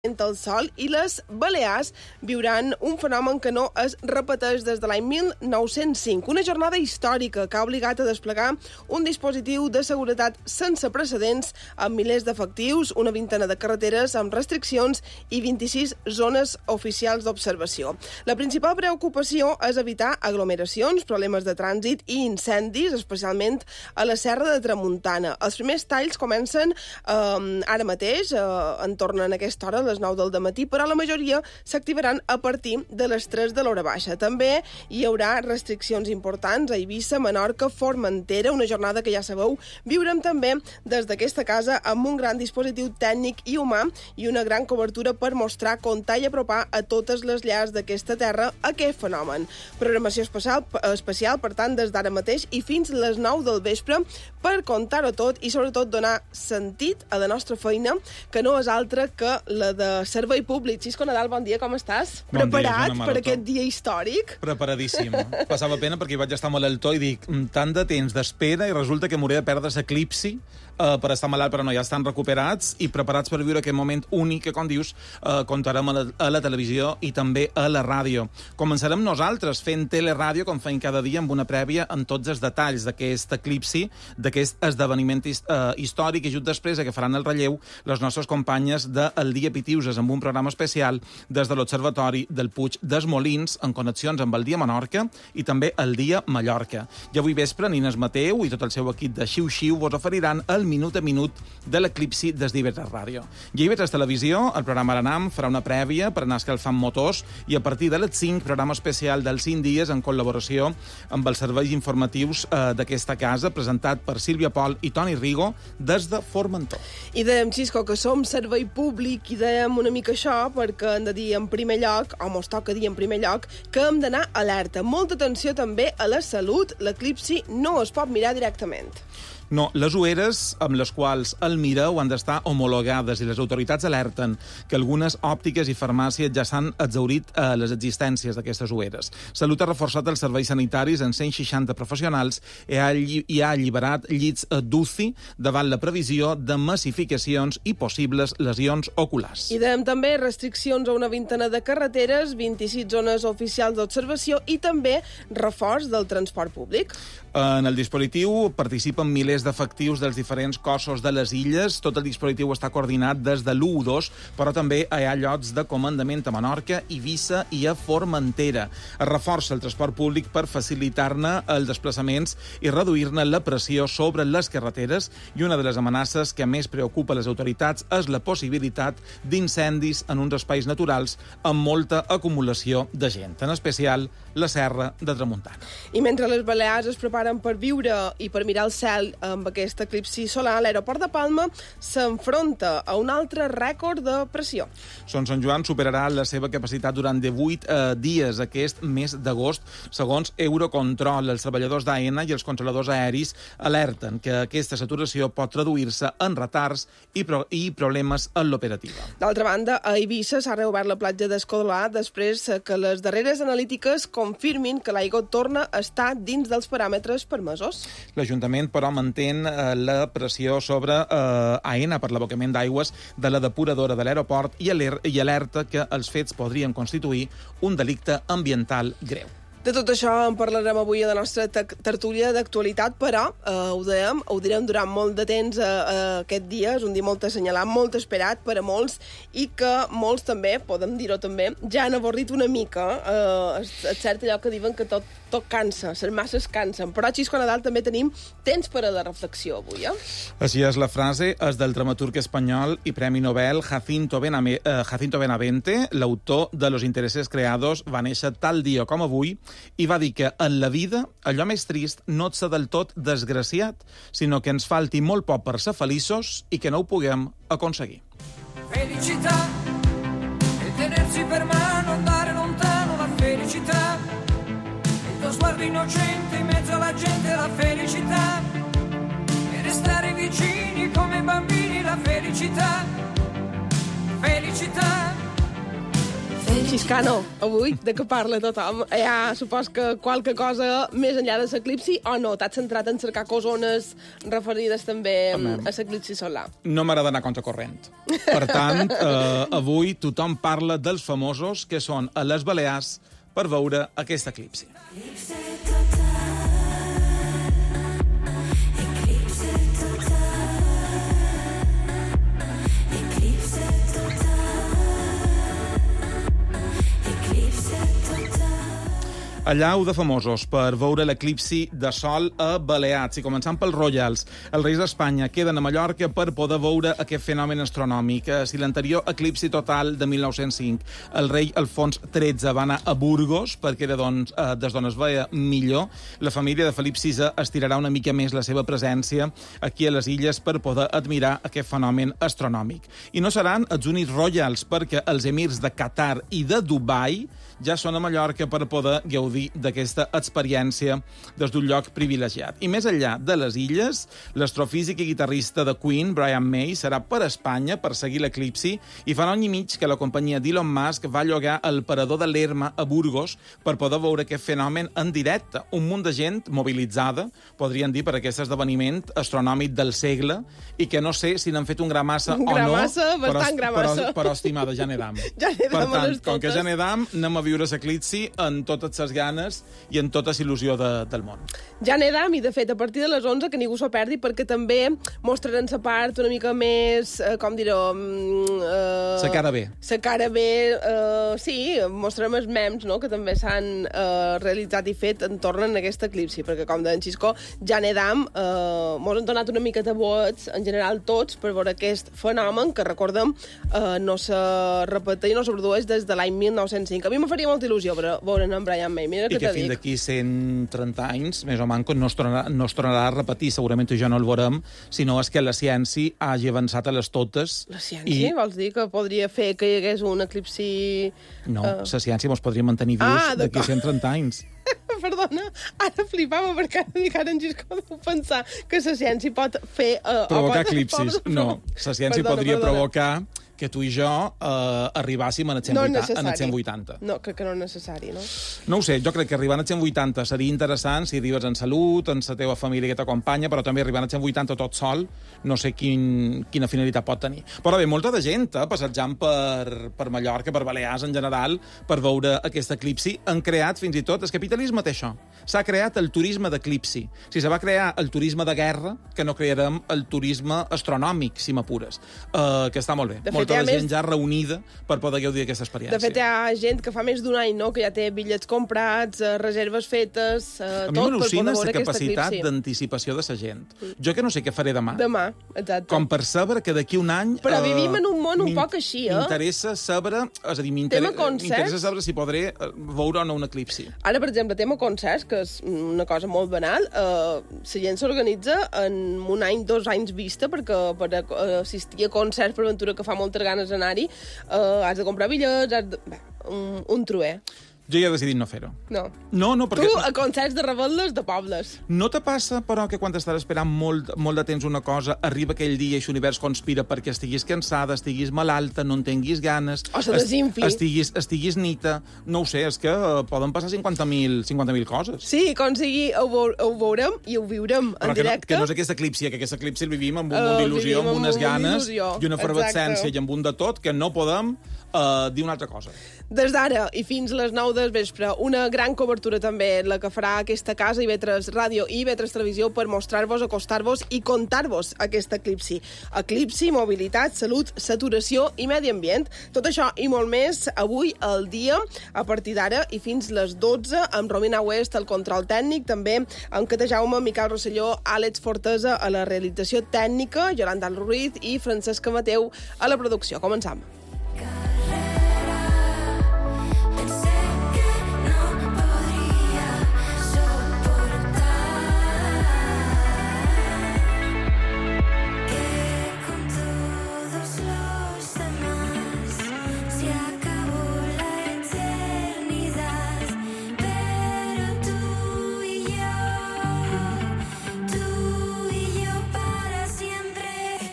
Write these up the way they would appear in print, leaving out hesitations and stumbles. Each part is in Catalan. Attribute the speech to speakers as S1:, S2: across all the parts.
S1: el sol i les Balears viuran un fenomen que no es repeteix des de l'any 1905. Una jornada històrica que ha obligat a desplegar un dispositiu de seguretat sense precedents amb milers d'efectius, una vintena de carreteres amb restriccions i 26 zones oficials d'observació. La principal preocupació és evitar aglomeracions, problemes de trànsit i incendis, especialment a la Serra de Tramuntana. Els primers talls comencen ara mateix, entorn a aquesta hora, les 9 del dematí, però la majoria s'activaran a partir de les 3 de l'hora baixa. També hi haurà restriccions importants a Eivissa, Menorca, Formentera, una jornada que ja sabeu, viurem també des d'aquesta casa amb un gran dispositiu tècnic i humà i una gran cobertura per mostrar, comptar i apropar a totes les llars d'aquesta terra aquest fenomen. Programació especial, per tant, des d'ara mateix i fins les 9 del vespre per contar-ho tot i sobretot donar sentit a la nostra feina, que no és altra que la de servei públic. Xisco Nadal, bon dia, com estàs?
S2: Bon
S1: Preparat
S2: dia,
S1: per aquest dia històric?
S2: Preparadíssim. Passava pena perquè hi vaig estar malaltó i dic, tant de temps d'espera i resulta que m'hauré de perdre l'eclipsi per estar malalt, però no, ja estan recuperats i preparats per viure aquest moment únic que, com dius, contarem a la televisió i també a la ràdio. Començarem nosaltres fent teleràdio, com feim cada dia, amb una prèvia amb tots els detalls d'aquest eclipsi, d'aquest esdeveniment històric, i just després que faran el relleu les nostres companyes del Dia Pitiuses amb un programa especial des de l'Observatori del Puig dels Molins en connexions amb el Dia Menorca i també el Dia Mallorca. I avui vespre Nines Mateu i tot el seu equip de Xiu-Xiu vos oferiran el minut a minut de l'eclipsi des d'IV3 Ràdio. I a IV3 Televisió, el programa Aranam farà una prèvia per anar escalfant motors i a partir de les 5, programa especial dels 5 dies en col·laboració amb els serveis informatius d'aquesta casa, presentat per Sílvia Pol i Toni Rigo des de Formentor.
S1: I dèiem, Xisco, que som servei públic i dèiem una mica això perquè hem de dir en primer lloc, o mos toca dir en primer lloc, que hem d'anar alerta. Molta atenció també a la salut. L'eclipsi no es pot mirar directament.
S2: No, les ulleres amb les quals el mireu han d'estar homologades i les autoritats alerten que algunes òptiques i farmàcies ja s'han exhaurit les existències d'aquestes ulleres. Salut ha reforçat els serveis sanitaris en 160 professionals i ha alliberat llits d'UCI davant la previsió de massificacions i possibles lesions oculars.
S1: I dèiem també restriccions a una vintena de carreteres, 26 zones oficials d'observació i també reforç del transport públic.
S2: En el dispositiu participen milers d'efectius dels diferents cossos de les illes. Tot el dispositiu està coordinat des de l'1-2, però també hi ha llocs de comandament a Menorca, Eivissa i a Formentera. Es reforça el transport públic per facilitar-ne els desplaçaments i reduir-ne la pressió sobre les carreteres, i una de les amenaces que més preocupa les autoritats és la possibilitat d'incendis en uns espais naturals amb molta acumulació de gent, en especial la Serra de Tramuntana.
S1: I mentre les Balears es preparen per viure i per mirar el cel amb aquest eclipsi solar, l'aeroport de Palma s'enfronta a un altre rècord de pressió.
S2: Son Sant Joan superarà la seva capacitat durant 18 dies aquest mes d'agost. Segons Eurocontrol, els treballadors d'AENA i els controladors aeris alerten que aquesta saturació pot traduir-se en retards i problemes en l'operativa.
S1: D'altra banda, a Eivissa s'ha reobert la platja d'Escolà després que les darreres analítiques confirmin que l'aigua torna a estar dins dels paràmetres permesos.
S2: L'Ajuntament, però, mantén la pressió sobre AENA per l'abocament d'aigües de la depuradora de l'aeroport i alerta que els fets podrien constituir un delicte ambiental greu.
S1: De tot això en parlarem avui a la nostra tertúlia d'actualitat, però ho direm durant molt de temps aquest dia. És un dia molt assenyalat, molt esperat per a molts i que molts també, podem dir-ho també, ja han avorrit una mica. És cert allò que diuen que tot cansa, les masses cansen, però a Xisco Nadal també tenim temps per a la reflexió avui,
S2: Així és la frase, és del dramaturg espanyol i Premi Nobel Jacinto Benavente. L'autor de Los intereses creados va néixer tal dia com avui i va dir que en la vida allò més trist no és ser del tot desgraciat, sinó que ens falti molt poc per ser feliços i que no ho puguem aconseguir.
S3: Felicità e tenersi per mano, andare lontano, la felicità, il tuo sguardo innocente in mezzo alla gente, la felicità, e restare vicini come bambini, la felicità, felicità.
S1: Xiscano, avui de què parla tothom? Ja supos que qualque cosa més enllà de l'eclipsi o no? T'has centrat en cercar cosones referides també a l'eclipsi solar?
S2: No m'agrada anar contracorrent. Per tant, avui tothom parla dels famosos que són a les Balears per veure aquest eclipsi. Allau de famosos per veure l'eclipsi de sol a Balears. I començant pels Royals, els reis d'Espanya queden a Mallorca per poder veure aquest fenomen astronòmic. Si l'anterior eclipsi total de 1905, el rei Alfons XIII va anar a Burgos perquè era des d'on es veia millor, la família de Felip VI estirarà una mica més la seva presència aquí a les illes per poder admirar aquest fenomen astronòmic. I no seran els únics Royals, perquè els emirs de Qatar i de Dubai ja són a Mallorca per poder gaudir d'aquesta experiència des d'un lloc privilegiat. I més enllà de les illes, l'astrofísic i guitarrista de Queen, Brian May, serà per Espanya per seguir l'eclipsi i fa un any i mig que la companyia d'Elon Musk va llogar el parador de l'Erma a Burgos per poder veure aquest fenomen en directe. Un munt de gent mobilitzada, podrien dir, per aquest esdeveniment astronòmic del segle i que no sé si n'han fet un gramassa o no.
S1: Gramassa, bastant gramassa.
S2: Però estimada, ja n'edam.
S1: Ja n'edam
S2: per tant,
S1: totes.
S2: com que ja n'edam, anem a viure l'eclipsi en totes les ganes i en tota il·lusió del món.
S1: Ja n'edam, i de fet, a partir de les 11, que ningú s'ho perdi, perquè també mostraran la part una mica més, com dir-ho...
S2: La cara bé.
S1: La cara bé, sí, mostrarem els memes, no?, que també s'han realitzat i fet en torn a aquest eclipsi, perquè, com deia en Xisco, ja n'edam, mos han donat una mica de vots, en general tots, per veure aquest fenomen, que, recordem, no se repeteix i no se produeix des de l'any 1905. A mi me faria molta il·lusió veure en Brian May. Mira
S2: I que fins d'aquí 130 anys, més o manco, no es tornarà a repetir. Segurament ja no el veurem, sinó és que la ciència hagi avançat a les totes.
S1: La ciència? Vols dir que podria fer que hi hagués un eclipsi...
S2: No, la ciència ens podria mantenir vius d'aquí 130 anys.
S1: Perdona, ara flipava perquè ara en Gisco deu pensar que la ciència pot fer...
S2: provocar eclipsis. No, la ciència podria provocar que tu i jo arribàssim en el 180.
S1: No, crec que no és necessari, no?
S2: No ho sé, jo crec que arribar al 180 seria interessant si arribes en salut, en la teva família que t'acompanya, però també arribar al 180 tot sol, no sé quina finalitat pot tenir. Però bé, molta de gent passejant per Mallorca, per Balears en general, per veure aquest eclipsi, han creat fins i tot... El capitalisme té això. S'ha creat el turisme d'eclipsi. Si se va crear el turisme de guerra, que no crearem el turisme astronòmic, si m'apures, que està molt bé. Molta gent ja reunida per poder gaudir d'aquesta experiència.
S1: De fet, hi ha gent que fa més d'un any, no?, que ja té bitllets comprats, reserves fetes, tot per poder veure aquest eclipsi. A mi m'al·lucina la capacitat d'anticipació de la gent. Jo que no sé què faré demà. Demà, exacte.
S2: Com per saber que d'aquí un any...
S1: Però vivim en un món un poc així,
S2: M'interessa saber... És a dir, m'interessa saber si podré veure o no un eclipsi.
S1: Ara, per exemple, tema concerts, que és una cosa molt banal, la gent s'organitza en un any, 2 anys vista, perquè per assistir a concerts per aventura que fa moltes ganes d'anar-hi, has de comprar bitllets, un truer.
S2: Jo ja he decidit no fer-ho.
S1: No.
S2: No, perquè...
S1: Tu a concerts de rebel·les de pobles.
S2: No te passa, però, que quan estàs esperant molt de temps una cosa, arriba aquell dia i l'univers conspira perquè estiguis cansada, estiguis malalta, no en tinguis ganes...
S1: O se desinfli.
S2: Estiguis nita... No ho sé, és que poden passar 50.000 coses.
S1: Sí, com sigui, ho veurem i ho viurem en directe.
S2: Que no és aquest eclipsi, que aquest eclipsi el vivim amb un munt d'il·lusió, amb unes ganes i una efervescència i amb un de tot que no podem dir una altra cosa.
S1: Des d'ara i fins les 9 del vespre, una gran cobertura també la que farà aquesta casa, IB3 Ràdio i IB3 Televisió, per mostrar-vos, acostar-vos i contar-vos aquest eclipsi. Eclipsi, mobilitat, salut, saturació i medi ambient. Tot això i molt més avui al dia, a partir d'ara i fins les 12, amb Romina West al control tècnic, també amb Cata Jaume, Miquel Rosselló, Àlex Fortesa a la realització tècnica, Yolanda Ruiz i Francesca Mateu a la producció. Començam.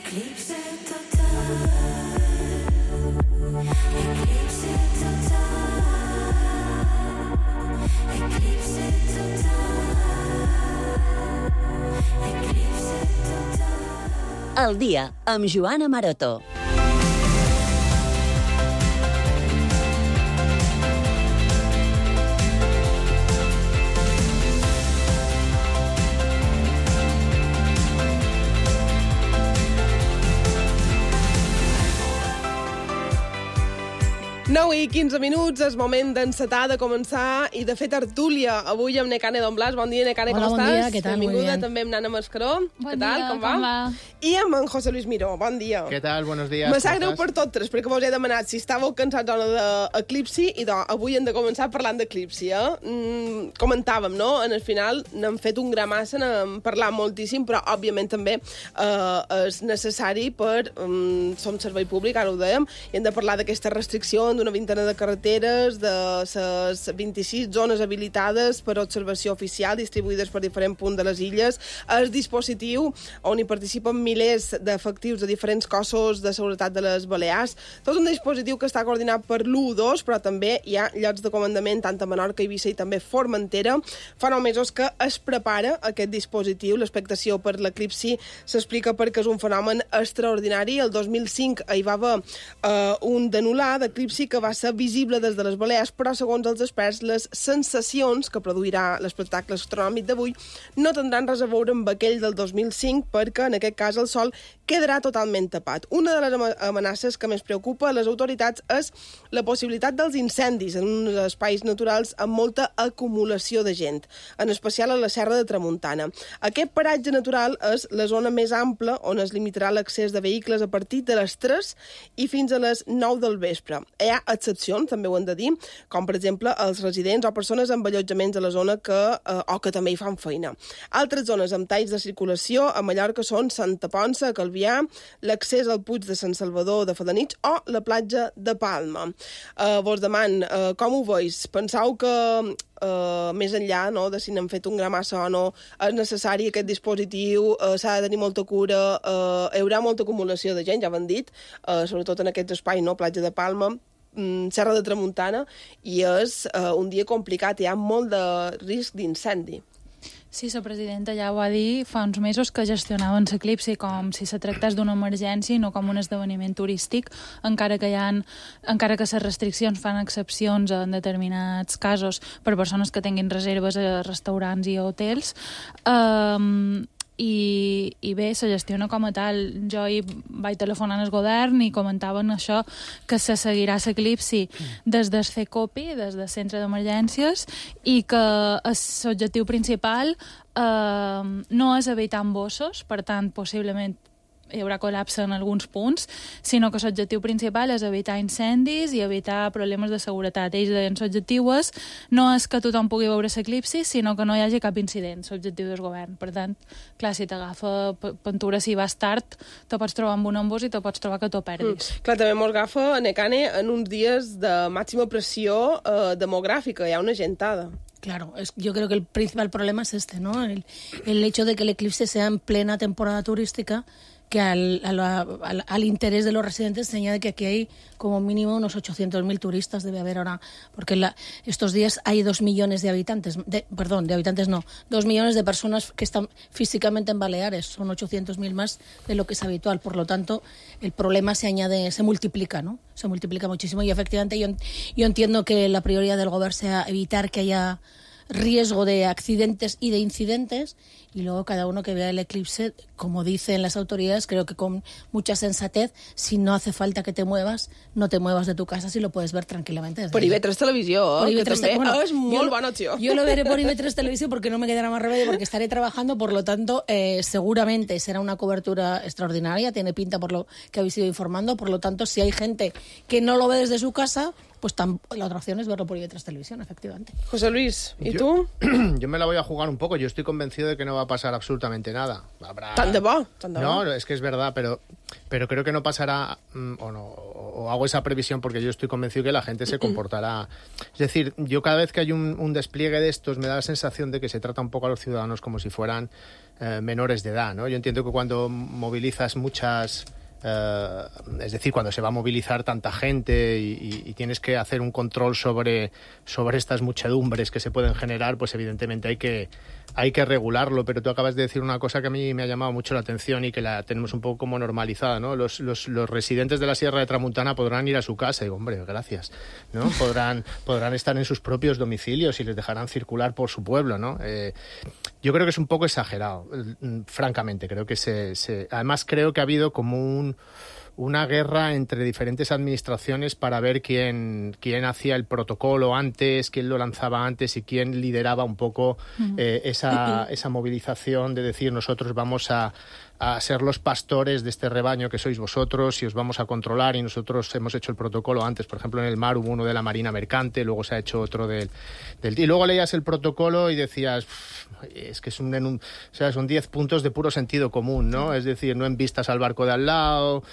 S4: Eclipse total. al dia, amb Joana Maroto.
S1: I 15 minuts, és moment d'encetar, de començar i de fer tertúlia. Avui amb Nekane Don Blas. Bon dia, Nekane, com estàs?
S5: Hola, bon dia, què tal?
S1: Benvinguda, també amb Nana Mascaró.
S5: Bon
S1: què tal,
S5: dia,
S1: com va? I amb en José Luis Miró. Bon dia.
S6: Què tal? Buenos días.
S1: Me sap greu per totes, perquè vos he demanat si estàveu cansats o no d'Eclipsi, i avui hem de començar parlant d'Eclipsi. Comentàvem, no? En el final n'hem fet un gra massa, n'hem parlat moltíssim, però òbviament també és necessari per... som servei públic, ara ho dèiem, i hem de parlar d'aquesta restricció d'una vintena de carreteres, de les 26 zones habilitades per observació oficial distribuïdes per diferents punts de les illes, el dispositiu on hi participen milers d'efectius de diferents cossos de seguretat de les Balears. Tot un dispositiu que està coordinat per l'U2, però també hi ha llocs de comandament tant a Menorca, Eivissa i també Formentera. Fa 9 mesos que es prepara aquest dispositiu. L'expectació per l'eclipsi s'explica perquè és un fenomen extraordinari. El 2005 hi va haver un denular d'eclipsi que va ser visible des de les Balears, però segons els experts les sensacions que produirà l'espectacle astronòmic d'avui no tindran res a veure amb aquell del 2005 perquè en aquest cas el sol quedarà totalment tapat. Una de les amenaces que més preocupa a les autoritats és la possibilitat dels incendis en uns espais naturals amb molta acumulació de gent, en especial a la Serra de Tramuntana. Aquest paratge natural és la zona més ampla on es limitarà l'accés de vehicles a partir de les 3 i fins a les 9 del vespre. Hi ha excepcions, també ho hem de dir, com per exemple els residents o persones amb allotjaments a la zona o que també hi fan feina. Altres zones amb talls de circulació a Mallorca són Santa Ponça, Calvià, l'accés al Puig de Sant Salvador de Felanitx o la platja de Palma. Vos deman, com ho veus? Penseu que més enllà de si n'hem fet un gra massa o no, és necessari aquest dispositiu, s'ha de tenir molta cura, hi haurà molta acumulació de gent, ja ho hem dit, sobretot en aquests espais, platja de Palma, Serra de Tramuntana, i és un dia complicat, hi ha molt de risc d'incendi.
S5: Sí, la presidenta ja ho va dir fa uns mesos que gestionaven l'eclipsi com si se tractés d'una emergència i no com un esdeveniment turístic, encara que les restriccions fan excepcions en determinats casos per persones que tinguin reserves a restaurants i a hotels. I bé, se gestiona com a tal. Jo hi vaig telefonar al govern i comentaven això, que se seguirà l'eclipsi des del CECOPI, des del centre d'emergències, i que l'objectiu principal no és evitar embossos, per tant, possiblement hi haurà col·lapse en alguns punts, sinó que l'objectiu principal és evitar incendis i evitar problemes de seguretat. Ells deien l'objectiu no és que tothom pugui veure l'eclipsi, sinó que no hi hagi cap incident, l'objectiu del govern. Per tant, clar, si t'agafa pintura, si vas tard, te pots trobar amb un embús i te pots trobar que t'ho perdis.
S1: Clar, també mos agafa, Nekane, en uns dies de màxima pressió demogràfica, hi ha una gentada.
S7: Claro, yo creo que el principal problema es ¿no? El hecho de que el eclipse sea en plena temporada turística, que al interés de los residentes se añade que aquí hay como mínimo unos 800.000 turistas, debe haber ahora, porque estos días hay 2 millones de habitantes, 2 millones de personas que están físicamente en Baleares, son 800.000 más de lo que es habitual, por lo tanto el problema se multiplica, ¿no? Se multiplica muchísimo y efectivamente yo entiendo que la prioridad del gobierno sea evitar que haya riesgo de accidentes y de incidentes, y luego cada uno que vea el eclipse, como dicen las autoridades, creo que con mucha sensatez, si no hace falta que te muevas, no te muevas de tu casa si lo puedes ver tranquilamente.
S1: Por IB3 Televisió,
S7: por
S1: que
S7: IB3
S1: també és molt bona opció.
S7: Yo lo veré por IB3 Televisión porque no me quedará más remedio, porque estaré trabajando, por lo tanto, seguramente será una cobertura extraordinaria, tiene pinta por lo que habéis ido informando, por lo tanto, si hay gente que no lo ve desde su casa, pues la otra opción es verlo por IB3 Televisión, efectivamente.
S1: José Luis, ¿y tú?
S6: Yo me la voy a jugar un poco. Yo estoy convencido de que no va a pasar absolutamente nada.
S1: ¿Tan de bo?
S6: No, es que es verdad, pero creo que no pasará, o hago esa previsión porque yo estoy convencido que la gente se comportará. Es decir, yo cada vez que hay un despliegue de estos me da la sensación de que se trata un poco a los ciudadanos como si fueran menores de edad, ¿no? Yo entiendo que cuando movilizas muchas es decir, cuando se va a movilizar tanta gente y tienes que hacer un control sobre estas muchedumbres que se pueden generar, pues evidentemente hay que regularlo. Pero tú acabas de decir una cosa que a mí me ha llamado mucho la atención y que la tenemos un poco como normalizada, ¿no? Los residentes de la Sierra de Tramuntana podrán ir a su casa. Y digo, hombre, gracias, ¿no? Podrán estar en sus propios domicilios y les dejarán circular por su pueblo, ¿no? Yo creo que es un poco exagerado, francamente. Creo que además creo que ha habido como una guerra entre diferentes administraciones para ver quién hacía el protocolo antes, quién lo lanzaba antes y quién lideraba un poco esa movilización de decir nosotros vamos a ser los pastores de este rebaño que sois vosotros y os vamos a controlar, y nosotros hemos hecho el protocolo antes. Por ejemplo, en el mar hubo uno de la Marina Mercante, luego se ha hecho otro y luego leías el protocolo y decías, es que son 10 puntos de puro sentido común, ¿no? Es decir, no embistas al barco de al lado,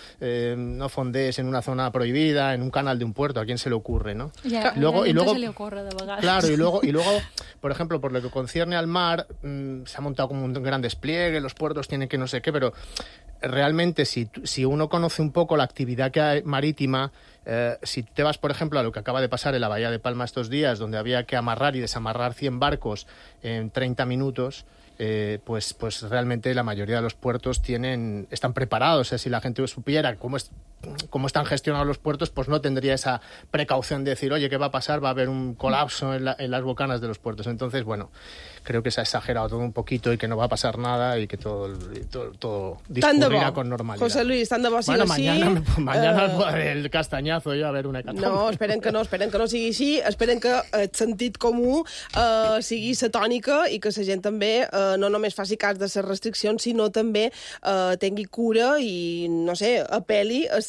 S6: no fondees en una zona prohibida, en un canal de un puerto, ¿a quién se le ocurre, no?
S5: Y luego
S6: se le ocurre de vegades. Claro, y luego, por ejemplo, por lo que concierne al mar, se ha montado como un gran despliegue, los puertos tienen que no sé qué, pero realmente si uno conoce un poco la actividad que hay marítima, si te vas, por ejemplo, a lo que acaba de pasar en la Bahía de Palma estos días, donde había que amarrar y desamarrar 100 barcos en 30 minutos, pues realmente la mayoría de los puertos están preparados. O sea, si la gente supiera cómo están gestionados los puertos, pues no tendría esa precaución de decir, oye, ¿qué va a pasar? Va a haber un colapso en las bocanas de los puertos. Entonces, bueno, creo que se ha exagerado todo un poquito y que no va a pasar nada y que todo discurrirá con normalidad.
S1: José Luis, tant de bo sigui
S6: així. Mañana el castanyazo jo a veure una hecatombe.
S1: No, esperen que no sigui així. Esperen que el sentit comú sigui la tònica i que la gent també no només faci cas de les restriccions, sinó també tingui cura i, no sé, apel·li a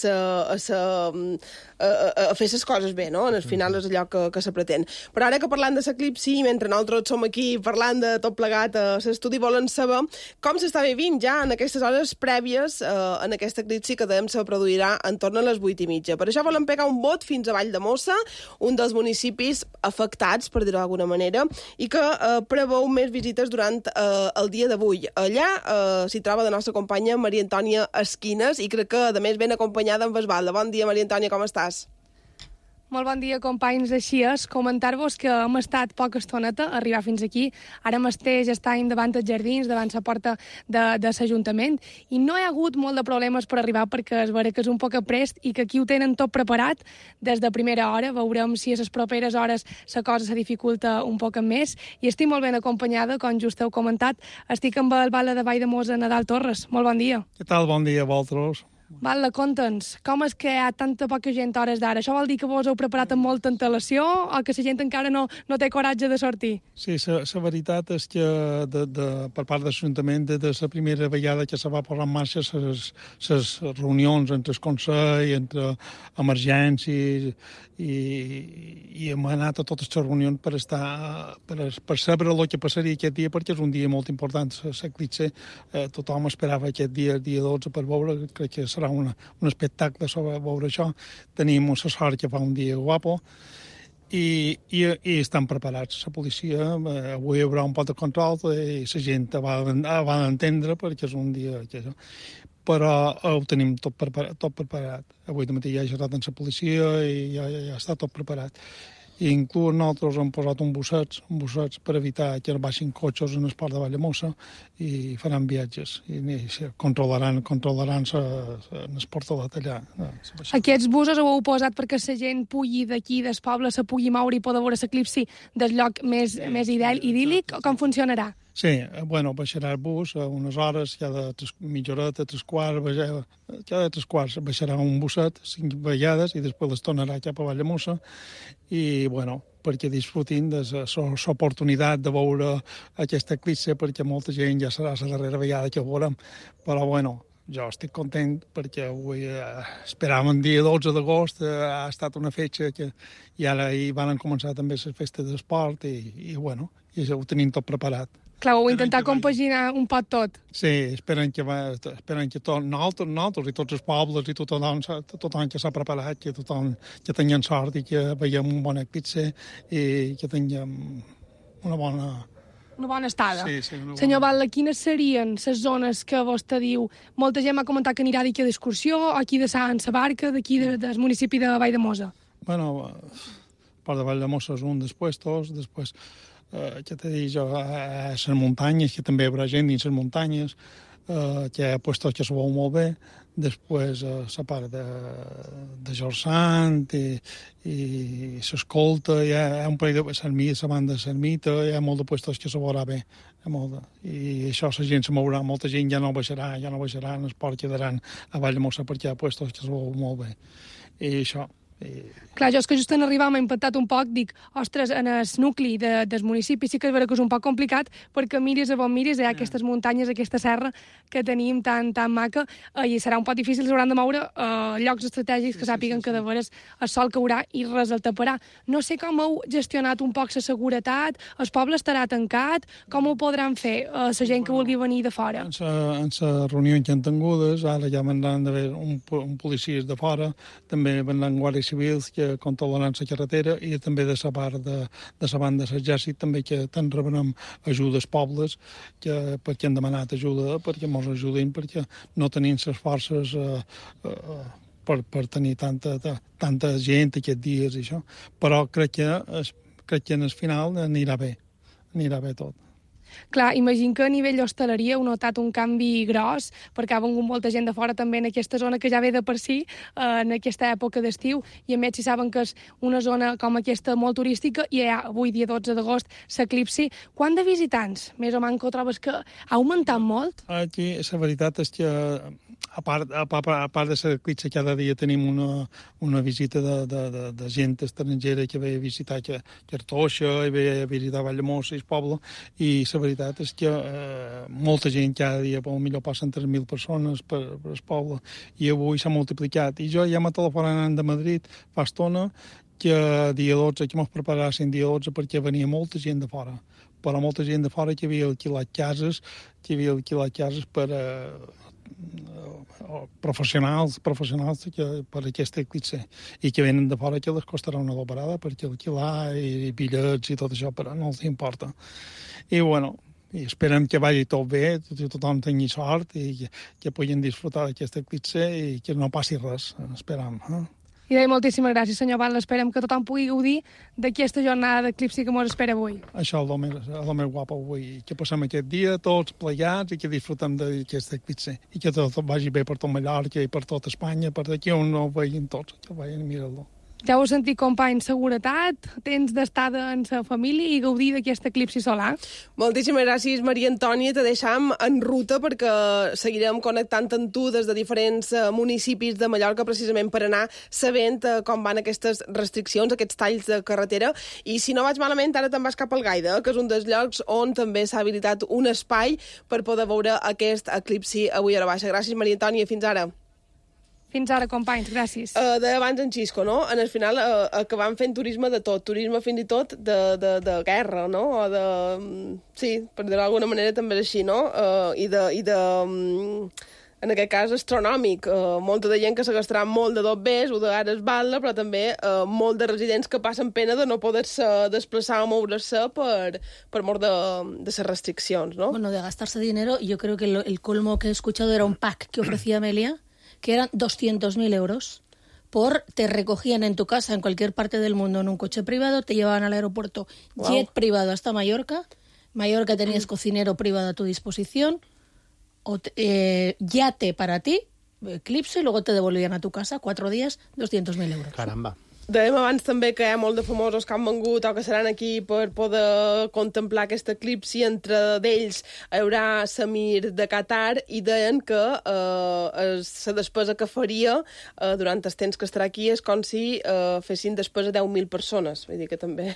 S1: fer les coses bé, no? Al final és allò que se pretén. Però ara que parlant de l'eclipsi, mentre nosaltres som aquí parlant de tot plegat a l'estudi, volen saber com s'està vivint ja en aquestes hores prèvies en aquest eclipsi que se produirà en torn a les 8:30. Per això volen pegar un bot fins a Valldemossa, un dels municipis afectats, per dir-ho d'alguna manera, i que preveu més visites durant el dia d'avui. Allà s'hi troba la nostra companya Maria Antònia Esquines i crec que, a més, ben acompanyada amb Esbalda. Bon dia, Maria Antònia, com estàs?
S8: Molt bon dia, companys. Així és, comentar-vos que hem estat poca estoneta a arribar fins aquí. Ara mateix estem davant dels jardins, davant la porta de l'Ajuntament, i no hi ha hagut molt de problemes per arribar perquè es veurà que és un poc aprest i que aquí ho tenen tot preparat des de primera hora. Veurem si a les properes hores la cosa se dificulta un poc més, i estic molt ben acompanyada, com just heu comentat. Estic amb el Batlle de Valldemossa, Nadal Torres. Molt bon dia.
S9: Què tal? Bon dia a vosaltres.
S8: Batlle, conta'ns, com és que hi ha tanta poca gent a hores d'ara? Això vol dir que vos heu preparat amb molta antelació o que la gent encara no té coratge de sortir?
S9: Sí, la veritat és que per part de l'Ajuntament, de la primera vegada que se va posar en marxa les reunions entre el Consell, entre emergències, i hem anat a totes les reunions per saber el que passaria aquest dia, perquè és un dia molt important. L'eclipsi, tothom esperava aquest dia, el dia 12, per veure. Crec que serà un espectacle sobre veure això. Tenim la sort que fa un dia guapo i estan preparats. La policia, avui hi haurà un pot de control i la gent va d'entendre perquè és un dia que però ho tenim tot preparat. Avui de matí ja he xerrat amb la policia i ja està tot preparat. I inclús nosaltres hem posat un bussets per evitar que baixin cotxes en el port de Valldemossa i faran viatges i controlaran el portalet allà.
S8: Aquests busos ho heu posat perquè la gent pugui d'aquí, del poble, se pugui moure i poder veure l'eclipsi del lloc més idíl·lic, o com funcionarà?
S9: Sí, baixarà el bus a unes hores, cada mitja horeta, cada 3 quarts baixarà un busset, 5 vegades, i després les tornarà cap a Valldemossa, i, perquè disfrutin de l'oportunitat de veure aquest eclipsi, perquè molta gent ja serà la darrera vegada que ho veurem. Però, jo estic content perquè avui esperàvem el dia 12 d'agost, ha estat una fetge que i ara hi van començar també les festes d'esport i ho tenim tot preparat.
S8: Clar, ho intentar compaginar un pot tot.
S9: Sí, esperen que nosaltres i tots els pobles i tothom que s'ha preparat, que tothom que tinguem sort i que veiem un bon eclipsi i que tinguem una bona
S8: Una bona estada.
S9: Sí, una bona...
S8: Senyor Batlle, quines serien les zones que vostè diu? Molta gent m'ha comentat que anirà d'aquí d'excursió, aquí de Sant Barca, d'aquí del municipi de Valldemossa.
S9: Bueno, part de Valldemossa és un dels puestos, després, ja t'he dit jo, a les muntanyes, que també hi haurà gent dins les muntanyes, que hi ha puestos que se veu molt bé, després la part de Jorsant i s'escolta, hi ha un parell de Sermita, la banda de Sermita, hi ha molt de puestos que se veurà bé, i això la gent se mourà, molta gent ja no baixarà en el port, quedaran a Valldemossa perquè hi ha puestos que se veu molt bé, i això.
S8: Clar, jo és que just en arribar m'ha impactat un poc, dic, ostres, en el nucli del municipi sí que és vera que és un poc complicat, perquè miris a on miris, hi ha aquestes muntanyes, aquesta serra que tenim tan maca, i serà un poc difícil, s'hauran de moure llocs estratègics que sàpiguen que de veres el sol caurà i res el taparà. No sé com heu gestionat un poc la seguretat, el poble estarà tancat, com ho podran fer la gent que vulgui venir de fora?
S9: En les reunions que han tingudes, ara ja vendran d'haver un policies de fora, també vendran guàrdies civils que controlaran la carretera i també de la part de la banda de l'exèrcit també que te'n rebrem ajudes pobles perquè han demanat ajuda perquè ens ajudin perquè no tenim les forces per tenir tanta gent aquests dies i això. Però crec que en el final anirà bé tot.
S8: Clar, imagino que a nivell hostaleria heu notat un canvi gros, perquè ha vengut molta gent de fora també en aquesta zona que ja ve de per si, en aquesta època d'estiu, i a més si saben que és una zona com aquesta molt turística, i hi ha avui dia 12 d'agost l'eclipsi. Quant de visitants, més o menys, trobes que ha augmentat molt?
S9: Aquí la veritat és que a part de l'eclipsi cada dia tenim una visita de gent estrangera que ve a visitar Cartoixa i ve a visitar Valldemossa i el poble, i la veritat és que molta gent cada dia, potser passen 3.000 persones per el poble, i avui s'ha multiplicat. I jo ja m'he telefonat de Madrid fa estona que dia 12, que m'ho preparassin dia 12 perquè venia molta gent de fora, però molta gent de fora que havia alquilat cases per professionals per aquest eclipsi i que venen de fora que les costarà una dobarada perquè alquilar i bitllets i tot això, però no els importa. I i esperem que vagi tot bé, que tothom tingui sort i que puguin disfrutar d'aquest eclipsi i que no passi res, esperam.
S8: I deia moltíssimes gràcies, senyor Batlle. Esperem que tothom pugui gaudir d'aquesta jornada d'eclipsi que ens espera avui.
S9: Això és el més guapo avui, que passem aquest dia tots plegats i que disfrutem d'aquest eclipsi i que tot vagi bé per tot Mallorca i per tot Espanya, per d'aquí on no ho veien tots, que vagin a mirar-lo.
S8: Ja ho heu sentit, company, seguretat, temps d'estada en la família i gaudir d'aquest eclipsi solar.
S1: Moltíssimes gràcies, Maria Antònia. Te deixam en ruta perquè seguirem connectant amb tu des de diferents municipis de Mallorca precisament per anar sabent com van aquestes restriccions, aquests talls de carretera. I si no vaig malament, ara te'n vas cap al Gaida, que és un dels llocs on també s'ha habilitat un espai per poder veure aquest eclipsi avui a la baixa. Gràcies, Maria Antònia. Fins ara.
S8: Fins ara, companys, gràcies.
S1: D'abans en Xisco, no? En el final acabam fent turisme de tot, turisme fins i tot de guerra, no? O de... Sí, per dir-ho d'alguna manera també és així, no? I de en aquest cas, astronòmic. Molta de gent que se gastarà molt de dobbers o d'ara es Batlle, però també molt de residents que passen pena de no poder-se desplaçar o moure-se per mort de les restriccions, no?
S7: Bueno, de gastarse dinero, yo creo que el colmo que he escuchado era un pack que ofrecía Amelia, que eran 200.000 euros. Te recogían en tu casa, en cualquier parte del mundo, en un coche privado, te llevaban al aeropuerto, wow, jet privado hasta Mallorca. Mallorca tenías cocinero privado a tu disposición, yate para ti, eclipse, y luego te devolvían a tu casa, 4 días, 200.000 euros.
S6: Caramba.
S1: Dèiem abans també que hi ha molt de famosos que han vengut o que seran aquí per poder contemplar aquest eclipsi. Entre d'ells hi haurà Samir de Qatar i deien que la despesa que faria durant el temps que estarà aquí és com si fessin despesa 10.000 persones. Vull dir que també...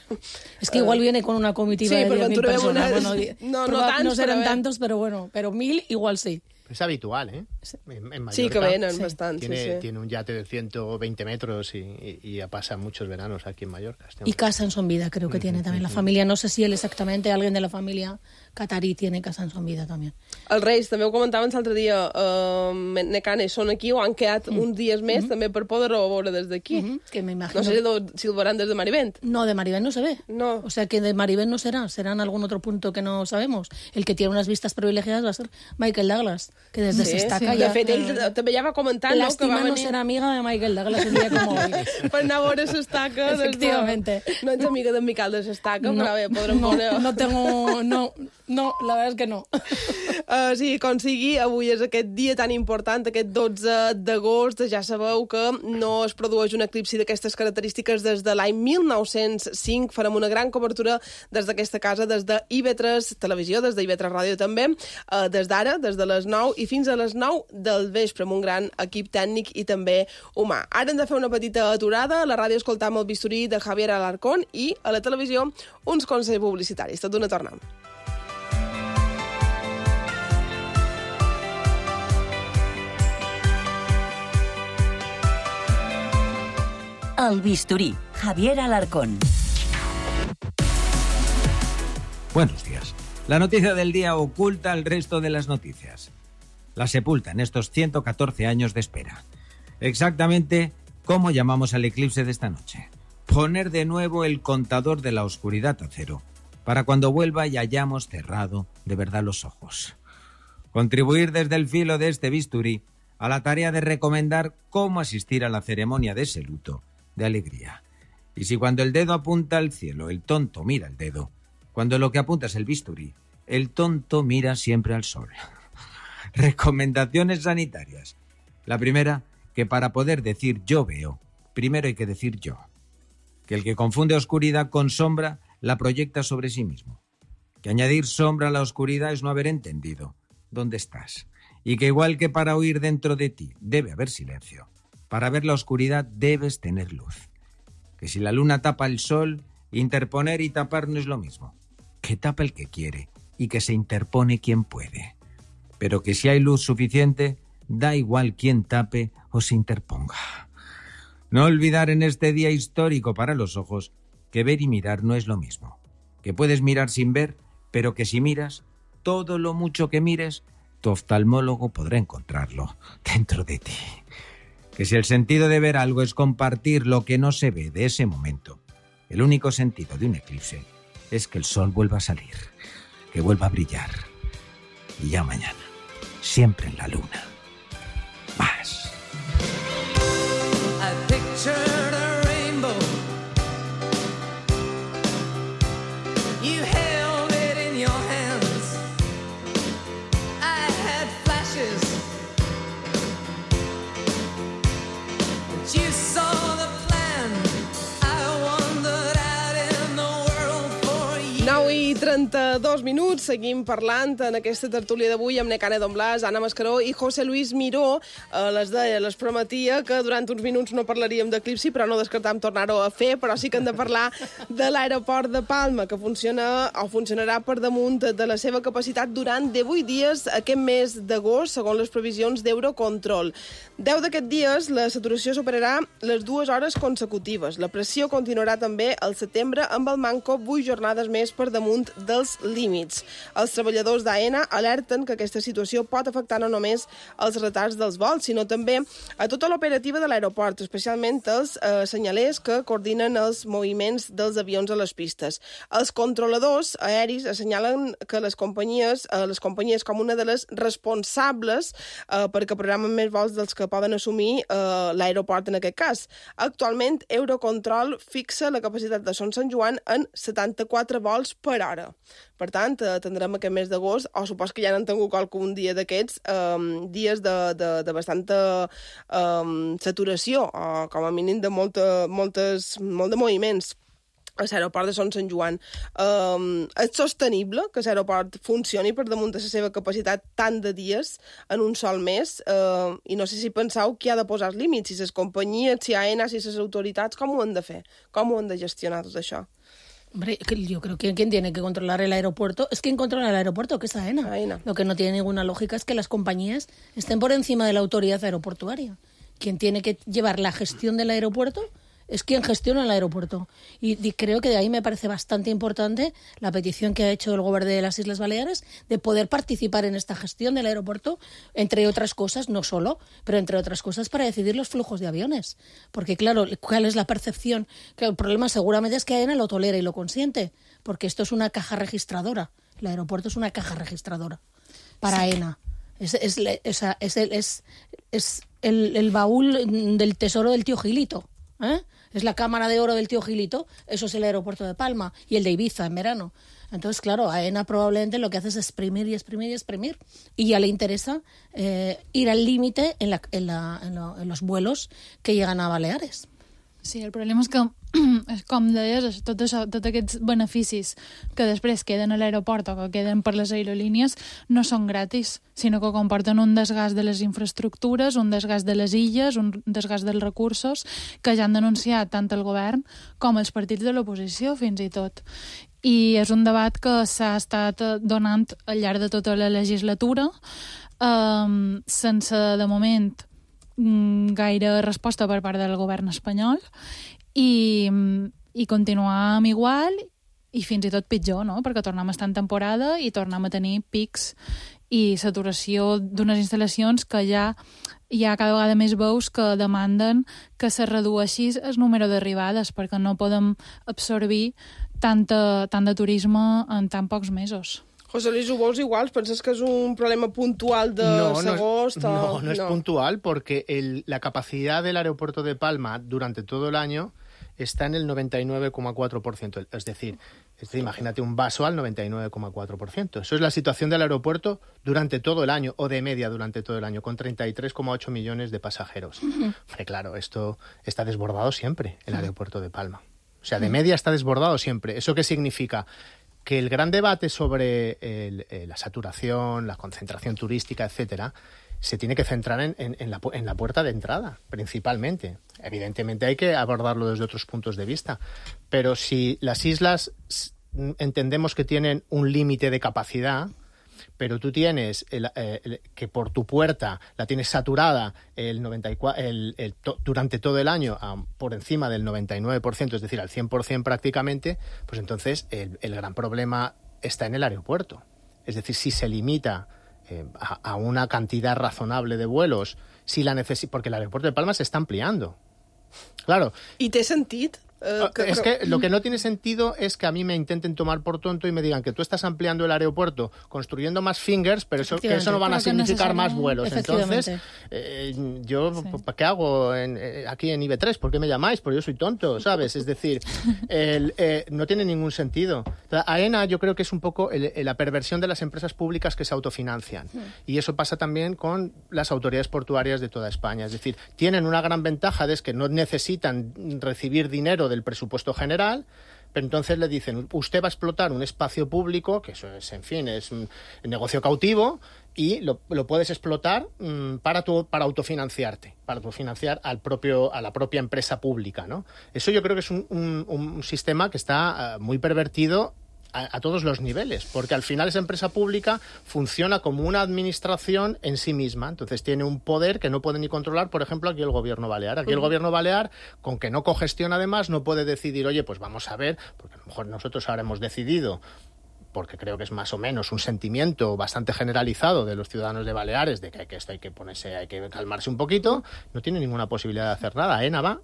S7: Es que igual viene con una comitiva de 10.000 personas.
S1: No
S7: no serán tantos, pero bueno, pero 1.000 igual sí.
S6: Es habitual, ¿eh? En Mallorca.
S1: Sí, que venen bastante.
S6: Tiene un yate de 120 metros y ya pasa muchos veranos aquí en Mallorca.
S7: Y casa en Son Vida creo que tiene también la familia. No sé si él exactamente, alguien de la familia catarí tiene casa en Son Vida también.
S1: Els Reis, també ho comentaven l'altre dia, Necane, són aquí o han quedat uns dies més també per poder-ho veure des d'aquí.
S7: Que me imagino.
S1: No sé si el veurán desde Marivent.
S7: No, de Marivent no se ve.
S1: No.
S7: O sea que de Marivent no será en algún otro punto que no sabemos. El que tiene unas vistas privilegiadas va a ser Michael Douglas, que desde S'Estaca
S1: ja... De fet, ell també ja va comentar, no?
S7: Lástima no ser amiga de Michael Douglas un día como hoy.
S1: Per anar a veure S'Estaca.
S7: Efectivamente.
S1: No ets amiga d'en Miquel de S'Estaca, però bé, podrem veure...
S7: No, la verdad es que no.
S1: Sí, com sigui, avui és aquest dia tan important, aquest 12 d'agost. Ja sabeu que no es produeix un eclipsi d'aquestes característiques des de l'any 1905. Farem una gran cobertura des d'aquesta casa, des de IB3 Televisió, des de IB3 Ràdio també, des d'ara, des de les 9 i fins a les 9 del vespre, amb un gran equip tècnic i també humà. Ara hem de fer una petita aturada. A la ràdio escoltam el bisturí de Javier Alarcón i a la televisió uns consells publicitaris. Tot d'una tornem.
S4: El bisturí, Javier Alarcón.
S10: Buenos días. La noticia del día oculta el resto de las noticias. La sepulta en estos 114 años de espera. Exactamente cómo llamamos al eclipse de esta noche. Poner de nuevo el contador de la oscuridad a cero, para cuando vuelva y hayamos cerrado de verdad los ojos. Contribuir desde el filo de este bisturí a la tarea de recomendar cómo asistir a la ceremonia de ese luto de alegría. Y si cuando el dedo apunta al cielo, el tonto mira el dedo, cuando lo que apunta es el bisturí, el tonto mira siempre al sol. Recomendaciones sanitarias. La primera, que para poder decir yo veo, primero hay que decir yo. Que el que confunde oscuridad con sombra la proyecta sobre sí mismo. Que añadir sombra a la oscuridad es no haber entendido dónde estás. Y que igual que para oír dentro de ti debe haber silencio, para ver la oscuridad debes tener luz. Que si la luna tapa el sol, interponer y tapar no es lo mismo. Que tapa el que quiere y que se interpone quien puede. Pero que si hay luz suficiente, da igual quién tape o se interponga. No olvidar en este día histórico para los ojos que ver y mirar no es lo mismo. Que puedes mirar sin ver, pero que si miras, todo lo mucho que mires, tu oftalmólogo podrá encontrarlo dentro de ti. Que si el sentido de ver algo es compartir lo que no se ve de ese momento, el único sentido de un eclipse es que el sol vuelva a salir, que vuelva a brillar. Y ya mañana, siempre en la luna. Más.
S3: I pictured a rainbow. You held it in your hands. I had flashes. But you saw the plan. I wandered out in the world for you.
S1: 9:32 minuts, seguim parlant en aquesta tertúlia d'avui amb Necane Don Blas, Anna Mascaró i José Luis Miró. Les prometia que durant uns minuts no parlaríem d'eclipsi, però no descartam tornar-ho a fer, però sí que hem de parlar de l'aeroport de Palma, que funciona o funcionarà per damunt de la seva capacitat durant 18 dies aquest mes d'agost, segons les previsions d'Eurocontrol. 10 d'aquests dies la saturació superarà les 2 hores consecutives. La pressió continuarà també al setembre amb el manco 8 jornades més per damunt dels límits. Els treballadors d'AENA alerten que aquesta situació pot afectar no només els retards dels vols, sinó també a tota l'operativa de l'aeroport, especialment els senyalers que coordinen els moviments dels avions a les pistes. Els controladors aeris assenyalen que les companyies com una de les responsables perquè programen més vols dels que poden assumir l'aeroport en aquest cas. Actualment, Eurocontrol fixa la capacitat de Son Sant Joan en 74 vols per hora. Per tant, tindrem aquest mes d'agost, o supos que ja n'han tingut algun dia d'aquests, dies de bastanta saturació, o com a mínim de molt de moviments a l'aeroport de Son Sant Joan. És sostenible que l'aeroport funcioni per damunt de la seva capacitat tant de dies en un sol mes? I no sé si penseu que hi ha de posar els límits, si les companyies, si AENA, si les autoritats, com ho han de fer? Com ho han de gestionar tot això?
S7: Hombre, yo creo que quien tiene que controlar el aeropuerto es quien controla el aeropuerto, que es AENA. Lo que no tiene ninguna lógica es que las compañías estén por encima de la autoridad aeroportuaria. Quien tiene que llevar la gestión del aeropuerto es quien gestiona el aeropuerto. Y creo que de ahí me parece bastante importante la petición que ha hecho el gobierno de las Islas Baleares de poder participar en esta gestión del aeropuerto, entre otras cosas, no solo, pero entre otras cosas para decidir los flujos de aviones. Porque, claro, ¿cuál es la percepción? Que el problema seguramente es que AENA lo tolera y lo consiente, porque esto es una caja registradora. El aeropuerto es una caja registradora para AENA. Es el baúl del tesoro del tío Gilito, ¿eh? Es la cámara de oro del tío Gilito, eso es el aeropuerto de Palma y el de Ibiza en verano. Entonces, claro, AENA probablemente lo que hace es exprimir y exprimir y exprimir. Y ya le interesa ir al límite en los vuelos que llegan a Baleares.
S5: Sí, el problema és que, com deies, tots aquests beneficis que després queden a l'aeroport o que queden per les aerolínies no són gratis, sinó que comporten un desgast de les infraestructures, un desgast de les illes, un desgast dels recursos que ja han denunciat tant el govern com els partits de l'oposició, fins i tot. I és un debat que s'ha estat donant al llarg de tota la legislatura, sense, de moment, gaire resposta per part del govern espanyol i continuar amb igual i fins i tot pitjor, no? Perquè tornem a estar en temporada i tornem a tenir pics i saturació d'unes instal·lacions que ja hi ha cada vegada més veus que demanden que se redueixi el número d'arribades perquè no podem absorbir tant de turisme en tan pocs mesos.
S1: José Luis, ¿ho veus igual? ¿Penses que es un problema puntual de agosto?
S6: No es puntual porque la capacidad del aeropuerto de Palma durante todo el año está en el 99,4%. Es decir, imagínate un vaso al 99,4%. Eso es la situación del aeropuerto durante todo el año, o de media durante todo el año, con 33,8 millones de pasajeros. Hombre, claro, esto está desbordado siempre, el aeropuerto de Palma. O sea, de media está desbordado siempre. ¿Eso qué significa? Que el gran debate sobre la saturación, la concentración turística, etcétera, se tiene que centrar en la puerta de entrada, principalmente. Evidentemente hay que abordarlo desde otros puntos de vista, pero si las islas entendemos que tienen un límite de capacidad, pero tú tienes que por tu puerta la tienes saturada durante todo el año por encima del 99%, es decir, al 100% prácticamente, pues entonces el gran problema está en el aeropuerto. Es decir, si se limita a una cantidad razonable de vuelos, porque el aeropuerto de Palma se está ampliando. Claro.
S1: ¿Y té sentit?
S6: Es que lo que no tiene sentido es que a mí me intenten tomar por tonto y me digan que tú estás ampliando el aeropuerto construyendo más fingers, pero que eso no van a significar más vuelos. Entonces, yo, ¿qué hago aquí en IB3? ¿Por qué me llamáis? Porque yo soy tonto, ¿sabes? Es decir, no tiene ningún sentido. AENA yo creo que es un poco la perversión de las empresas públicas que se autofinancian. Y eso pasa también con las autoridades portuarias de toda España. Es decir, tienen una gran ventaja de que no necesitan recibir dinero del presupuesto general, pero entonces le dicen, usted va a explotar un espacio público, que eso es, en fin, es un negocio cautivo, y lo puedes explotar para autofinanciarte, para autofinanciar a la propia empresa pública, ¿no? Eso yo creo que es un sistema que está muy pervertido a todos los niveles, porque al final esa empresa pública funciona como una administración en sí misma, entonces tiene un poder que no puede ni controlar, por ejemplo, aquí el gobierno balear. Aquí el gobierno balear, con que no cogestiona además, no puede decidir, oye, pues vamos a ver, porque a lo mejor nosotros ahora hemos decidido, porque creo que es más o menos un sentimiento bastante generalizado de los ciudadanos de Baleares, de que esto hay que calmarse un poquito, no tiene ninguna posibilidad de hacer nada. AENA va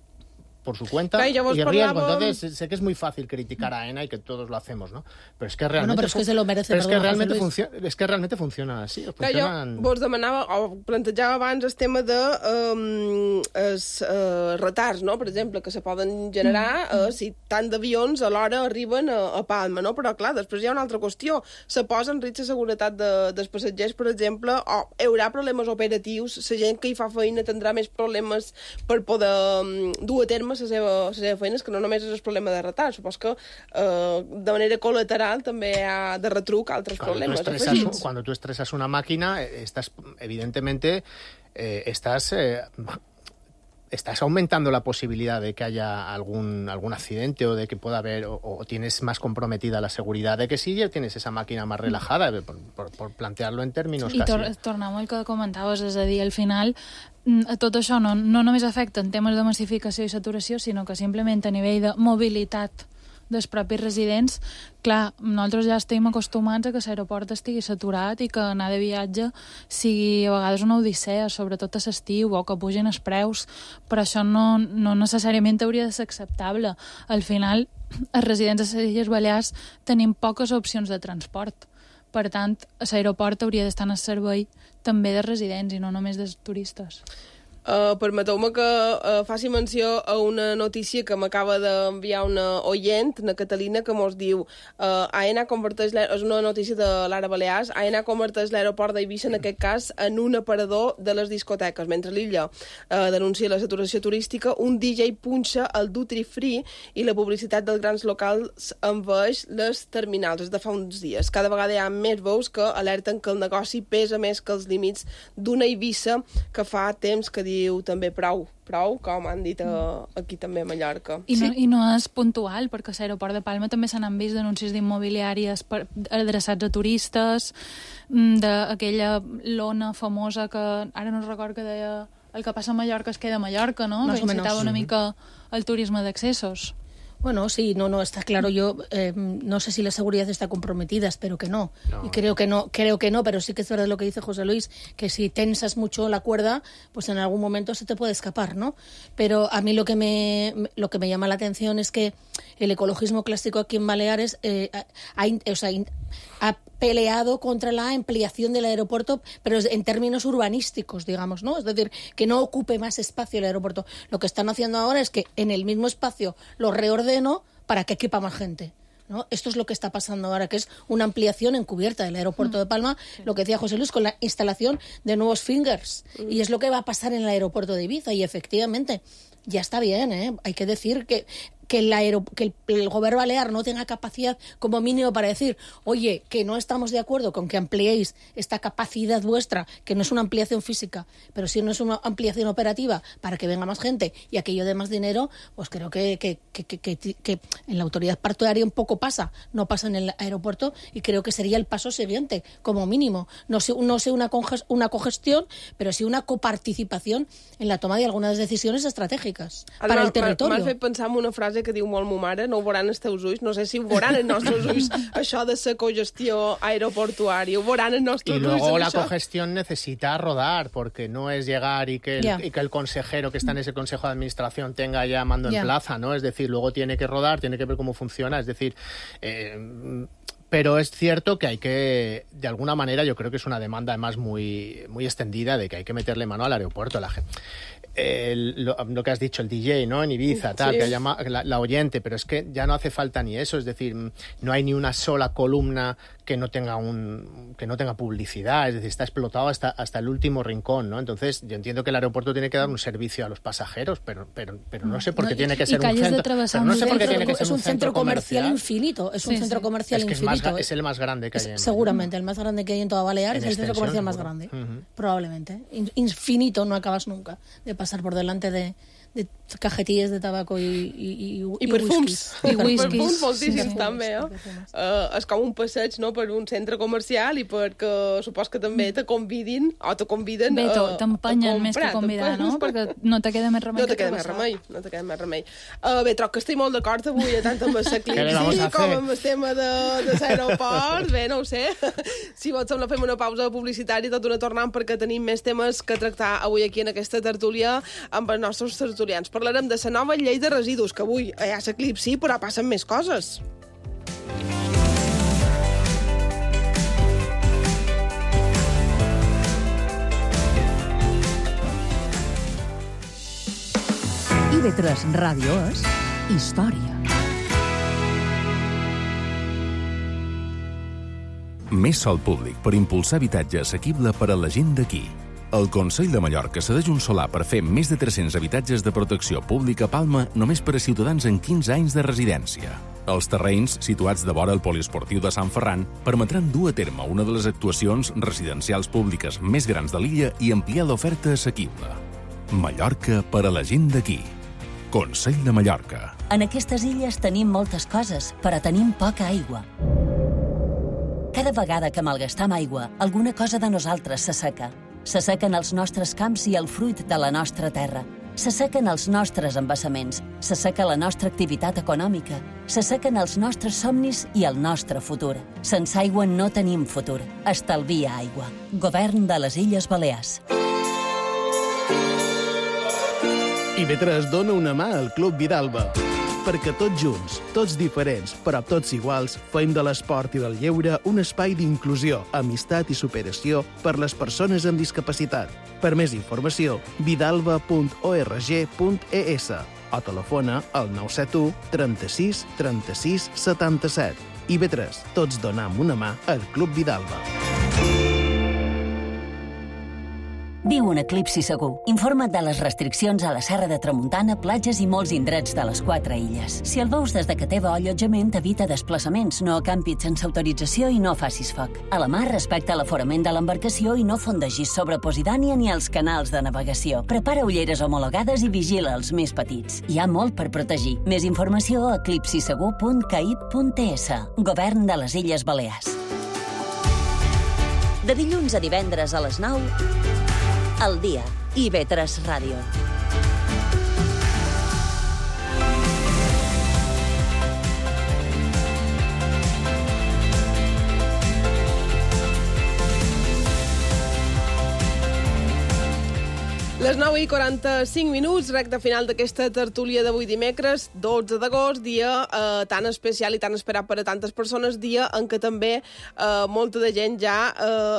S6: por su cuenta y riesgo. Entonces sé que es muy fácil criticar a AENA y que todos lo hacemos, ¿no? Pero es que realmente
S7: pero es que se lo merece,
S6: pero es que realmente funciona así.
S1: Jo vos demanava o plantejava abans el tema de retards, no? Per exemple, que se poden generar si tant d'avions alhora arriben a Palma, no? Però clar, després hi ha una altra qüestió. Se posa en risc la seguretat dels passatgers, per exemple, o hi haurà problemes operatius, la gent que hi fa feina tindrà més problemes per poder dur a terme la seva feina, que no només és el problema de retard, supos que de manera colateral també hi ha de retruc altres problemes afegits.
S6: Cuando tú estresas una máquina, estás evidentemente ¿estás aumentando la posibilidad de que haya algún accidente o de que pueda haber, o tienes más comprometida la seguridad de que sí, ya tienes esa màquina más relajada, por plantearlo en términos
S5: I tornem al que comentaves, és a dir, al final tot això no només afecta en temes de massificació i saturació, sinó que simplement a nivell de mobilitat dels propis residents, clar, nosaltres ja estem acostumats a que l'aeroport estigui saturat i que anar de viatge sigui a vegades una odissea, sobretot a l'estiu, o que pugin els preus, però això no necessàriament hauria de ser acceptable. Al final, els residents de les Illes Balears tenim poques opcions de transport. Per tant, l'aeroport hauria d'estar en el servei també de residents i no només dels turistes.
S1: Permeteu-me que faci menció a una notícia que m'acaba d'enviar una oient, una Catalina, que mos diu AENA converteix, és una notícia de l'Ara Balears, AENA converteix l'aeroport d'Eivissa, en aquest cas, en un aparador de les discoteques. Mentre l'illa denuncia la saturació turística, un DJ punxa el duty free i la publicitat dels grans locals envaeix les terminals. És de fa uns dies. Cada vegada hi ha més veus que alerten que el negoci pesa més que els límits d'una Eivissa que fa temps que diu també prou, com han dit aquí també a Mallorca.
S5: I no és puntual, perquè a l'aeroport de Palma també se n'han vist denúncies d'immobiliàries adreçats a turistes, d'aquella lona famosa que ara no recordo que deia el que passa a Mallorca es queda a Mallorca, no? Que incitava una mica el turisme d'accessos.
S7: Bueno, sí, no, está claro. Yo no sé si la seguridad está comprometida, espero que no. Y creo que no, pero sí que es verdad lo que dice José Luis, que si tensas mucho la cuerda, pues en algún momento se te puede escapar, ¿no? Pero a mí lo que me llama la atención es que el ecologismo clásico aquí en Baleares ha peleado contra la ampliación del aeropuerto, pero en términos urbanísticos, digamos, ¿no? Es decir, que no ocupe más espacio el aeropuerto. Lo que están haciendo ahora es que en el mismo espacio lo reordeno para que quepa más gente, ¿no? Esto es lo que está pasando ahora, que es una ampliación encubierta del aeropuerto de Palma, lo que decía José Luis, con la instalación de nuevos fingers. Y es lo que va a pasar en el aeropuerto de Ibiza, y efectivamente ya está bien, ¿eh? Hay que decir que el gobierno balear no tenga capacidad como mínimo para decir, oye, que no estamos de acuerdo con que ampliéis esta capacidad vuestra, que no es una ampliación física, pero sí no es una ampliación operativa para que venga más gente y aquello de más dinero, pues creo que en la autoridad portuaria un poco no pasa en el aeropuerto, y creo que sería el paso siguiente, como mínimo. No sé una cogestión, pero sí una coparticipación en la toma de algunas decisiones estratègiques para el territorio.
S1: M'has fet pensar en una frase que diu molt mo mare, no ho veuran els teus ulls, no sé si ho veuran els nostres ulls, això de la cogestió aeroportuària, ho veuran els nostres ulls.
S6: Y luego la cogestión necesita rodar, porque no es llegar y que el consejero que está en ese consejo de administración tenga ya mando en plaza, ¿no? Es decir, luego tiene que rodar, tiene que ver cómo funciona, es decir... Pero es cierto que hay que, de alguna manera, yo creo que es una demanda además muy, muy extendida de que hay que meterle mano al aeropuerto. Lo que has dicho, el DJ, ¿no? En Ibiza, tal, sí. Que llama la oyente, pero es que ya no hace falta ni eso, es decir, no hay ni una sola columna que no tenga publicidad, es decir, está explotado hasta el último rincón, ¿no? Entonces, yo entiendo que el aeropuerto tiene que dar un servicio a los pasajeros, pero no sé por qué tiene que ser un centro.
S7: No sé por qué tiene que ser un centro comercial infinito, es un centro comercial infinito.
S6: Es el más grande que hay.
S7: Seguramente, el más grande que hay en toda Baleares, es el centro comercial más grande, probablemente. Infinito, no acabas nunca de pasar por delante de cajetilles de tabaco i
S1: perfums.
S7: I whisky.
S1: Perfums moltíssims, també, és com un passeig, no?, per un centre comercial, i perquè supos que també te conviden a comprar.
S5: Bé, t'empenyen més que convidar, no? Perquè no te queda més remei.
S1: No te queda més remei. Bé, troc que estic molt d'acord avui, tant amb el Eclipsi com amb el tema de l'aeroport. Bé, no ho sé. Si vols, sembla, fem una pausa publicitària i tot una tornant, perquè tenim més temes que tractar avui aquí en aquesta tertúlia amb els nostres tertulians. Parlarem de la nova llei de residus, que avui hi ha l'Eclipsi, però passen més coses.
S11: IB3 Ràdio és història.
S12: Més sòl públic per impulsar habitatge assequible per a la gent d'aquí. El Consell de Mallorca cedeix un solar per fer més de 300 habitatges de protecció pública a Palma només per a ciutadans amb 15 anys de residència. Els terrenys, situats de vora el poliesportiu de Sant Ferran, permetran dur a terme una de les actuacions residencials públiques més grans de l'illa i ampliar l'oferta assequible. Mallorca per a la gent d'aquí. Consell de Mallorca.
S4: En aquestes illes tenim moltes coses, però tenim poca aigua. Cada vegada que malgastam aigua, alguna cosa de nosaltres s'asseca. S'assequen els nostres camps i el fruit de la nostra terra. S'assequen els nostres embassaments, s'asseca la nostra activitat econòmica, s'assequen els nostres somnis i el nostre futur. Sense aigua no tenim futur. Estalvia aigua. Govern de les Illes Balears.
S13: IB3 dona una mà al Club Vidalba. Perquè tots junts, tots diferents, però tots iguals, fem de l'esport i del lleure un espai d'inclusió, amistat i superació per les persones amb discapacitat. Per més informació, vidalba.org.es o telefona al 971 36 36 77. IB3, tots donam una mà al Club Vidalba.
S4: Viu un eclipsi segur. Informa't de les restriccions a la Serra de Tramuntana, platges i molts indrets de les 4 illes. Si el veus des de que teva allotjament, evita desplaçaments, no acampis sense autorització i no facis foc. A la mar, respecta l'aforament de l'embarcació i no fondegis sobre Posidònia ni els canals de navegació. Prepara ulleres homologades i vigila els més petits. Hi ha molt per protegir. Més informació a eclipsisegur.caip.es. Govern de les Illes Balears. De dilluns a divendres a les 9, al dia, IB3 Ràdio.
S1: Les 9:45, recte final d'aquesta tertúlia d'avui dimecres, 12 d'agost, dia tan especial i tan esperat per a tantes persones, dia en què també molta de gent ja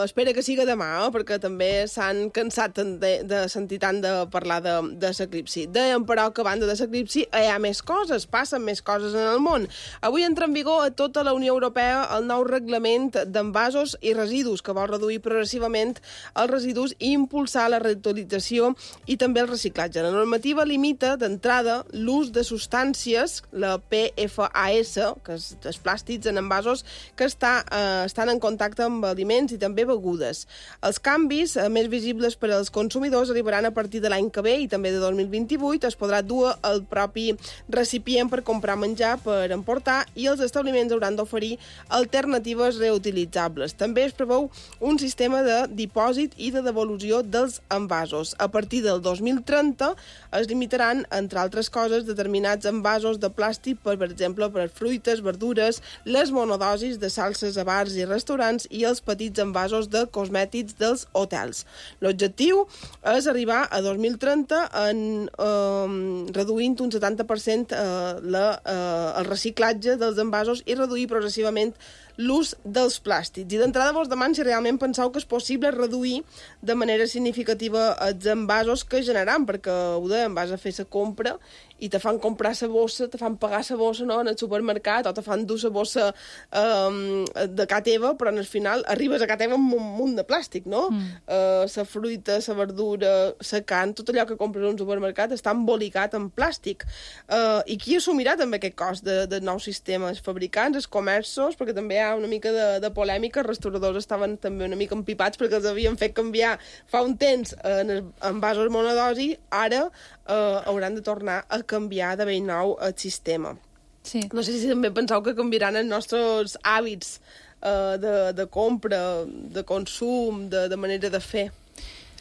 S1: espera que siga demà, perquè també s'han cansat de sentir tant de parlar de l'eclipsi. Dèiem, però, que a banda de l'eclipsi hi ha més coses, passen més coses en el món. Avui entra en vigor a tota la Unió Europea el nou reglament d'envasos i residus, que vol reduir progressivament els residus i impulsar la reutilització i també el reciclatge. La normativa limita d'entrada l'ús de substàncies, la PFAS, que és els plàstics en envasos que estan en contacte amb aliments i també begudes. Els canvis més visibles per als consumidors arribaran a partir de l'any que ve i també de 2028. Es podrà dur el propi recipient per comprar menjar, per emportar, i els establiments hauran d'oferir alternatives reutilitzables. També es preveu un sistema de dipòsit i de devolució dels envasos. A partir del 2030 es limitaran, entre altres coses, determinats envasos de plàstic, per exemple, per fruites, verdures, les monodosis de salses a bars i restaurants i els petits envasos de cosmètics dels hotels. L'objectiu és arribar a 2030 reduint un 70% el reciclatge dels envasos i reduir progressivament l'ús dels plàstics. I d'entrada vos demano si realment penseu que és possible reduir de manera significativa els envasos que generam, perquè ho dèiem, vas a fer la compra i te fan comprar la bossa, te fan pagar la bossa, no?, en el supermercat, o te fan dur la bossa de casa teva, però al final arribes a casa teva amb un munt de plàstic, no? La fruita, la verdura, la carn, tot allò que compres a un supermercat està embolicat en plàstic. I qui assumirà també aquest cost del nou sistema? Els fabricants, els comerços, perquè també hi ha una mica de polèmica, els restauradors estaven també una mica empipats perquè els havien fet canviar fa un temps en envasos monodosi, ara hauran de tornar a canviar de ben nou el sistema.
S5: Sí.
S1: No sé si també penseu que canviaran els nostres hàbits de compra, de consum, de manera de fer.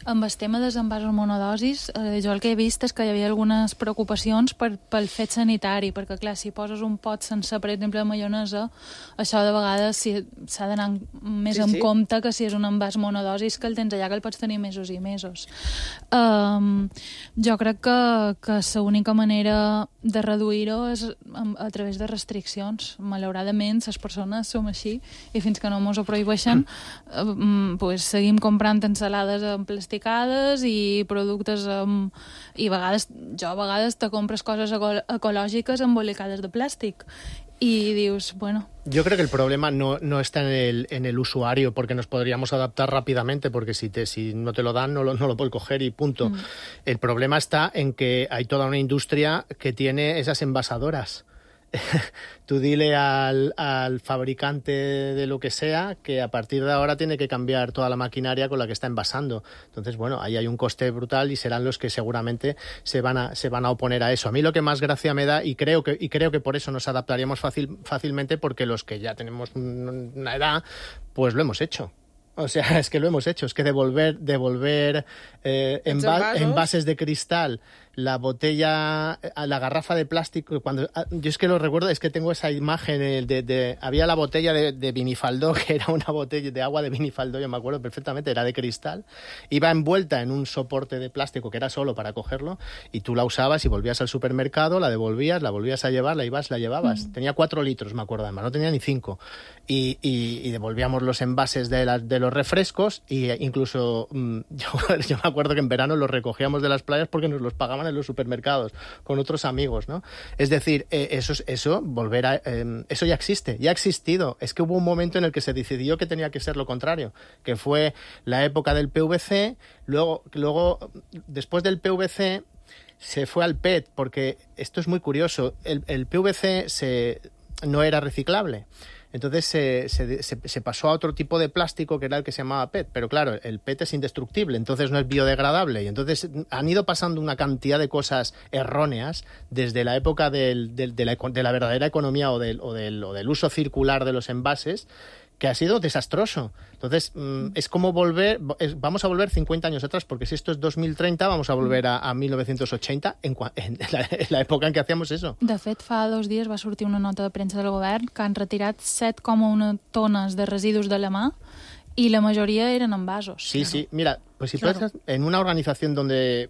S5: Amb el tema dels envasos monodosis, jo el que he vist és que hi havia algunes preocupacions pel fet sanitari, perquè, clar, si poses un pot sense, per exemple, de maionesa, això de vegades s'ha d'anar més en compte que si és un envàs monodosis que el tens allà, que el pots tenir mesos i mesos. Jo crec que l'única manera de reduir-ho és a través de restriccions. Malauradament, les persones som així, i fins que no mos ho prohibeixen, seguim comprant ensalades en plàstic i productes i a vegades te compres coses ecològiques embolicades de plàstic y dius, bueno...
S6: Yo creo que el problema no está en el usuario, porque nos podríamos adaptar rápidamente, porque si no te lo dan, no lo puedes coger y punto. El problema está en que hay toda una industria que tiene esas envasadoras. tú dile al fabricante de lo que sea que a partir de ahora tiene que cambiar toda la maquinaria con la que está envasando. Entonces, bueno, ahí hay un coste brutal y serán los que seguramente se van a oponer a eso. A mí lo que más gracia me da, y creo que por eso nos adaptaríamos fácilmente, porque los que ya tenemos una edad, pues lo hemos hecho. O sea, es que lo hemos hecho, es que devolver envases de cristal, la botella, la garrafa de plástico, yo es que lo recuerdo, es que tengo esa imagen había la botella de Vinifaldó, que era una botella de agua de Vinifaldó, yo me acuerdo perfectamente, era de cristal, iba envuelta en un soporte de plástico que era solo para cogerlo, y tú la usabas y volvías al supermercado, la devolvías, la volvías a llevar, la llevabas. Tenía 4 litros, me acuerdo, además, no tenía ni 5. Y devolvíamos los envases de los refrescos, y incluso yo me acuerdo que en verano los recogíamos de las playas porque nos los pagaban en los supermercados con otros amigos, ¿no? Es decir, eso ya existe, ya ha existido. Es que hubo un momento en el que se decidió que tenía que ser lo contrario, que fue la época del PVC, luego después del PVC se fue al PET, porque esto es muy curioso, el PVC no era reciclable. Entonces se pasó a otro tipo de plástico que era el que se llamaba PET, pero claro, el PET es indestructible, entonces no es biodegradable, y entonces han ido pasando una cantidad de cosas erróneas desde la época de la verdadera economía o del uso circular de los envases, que ha sido desastroso. Entonces, es como vamos a volver 50 años atrás, porque si esto es 2030, vamos a volver a 1980, en la època en què hacíamos eso.
S5: De fet, fa 2 dies va sortir una nota de premsa del govern que han retirat 7,1 tones de residus de la mà, y la mayoría eran envasos.
S6: Sí, sí. Mira, pues si claro. En una organización donde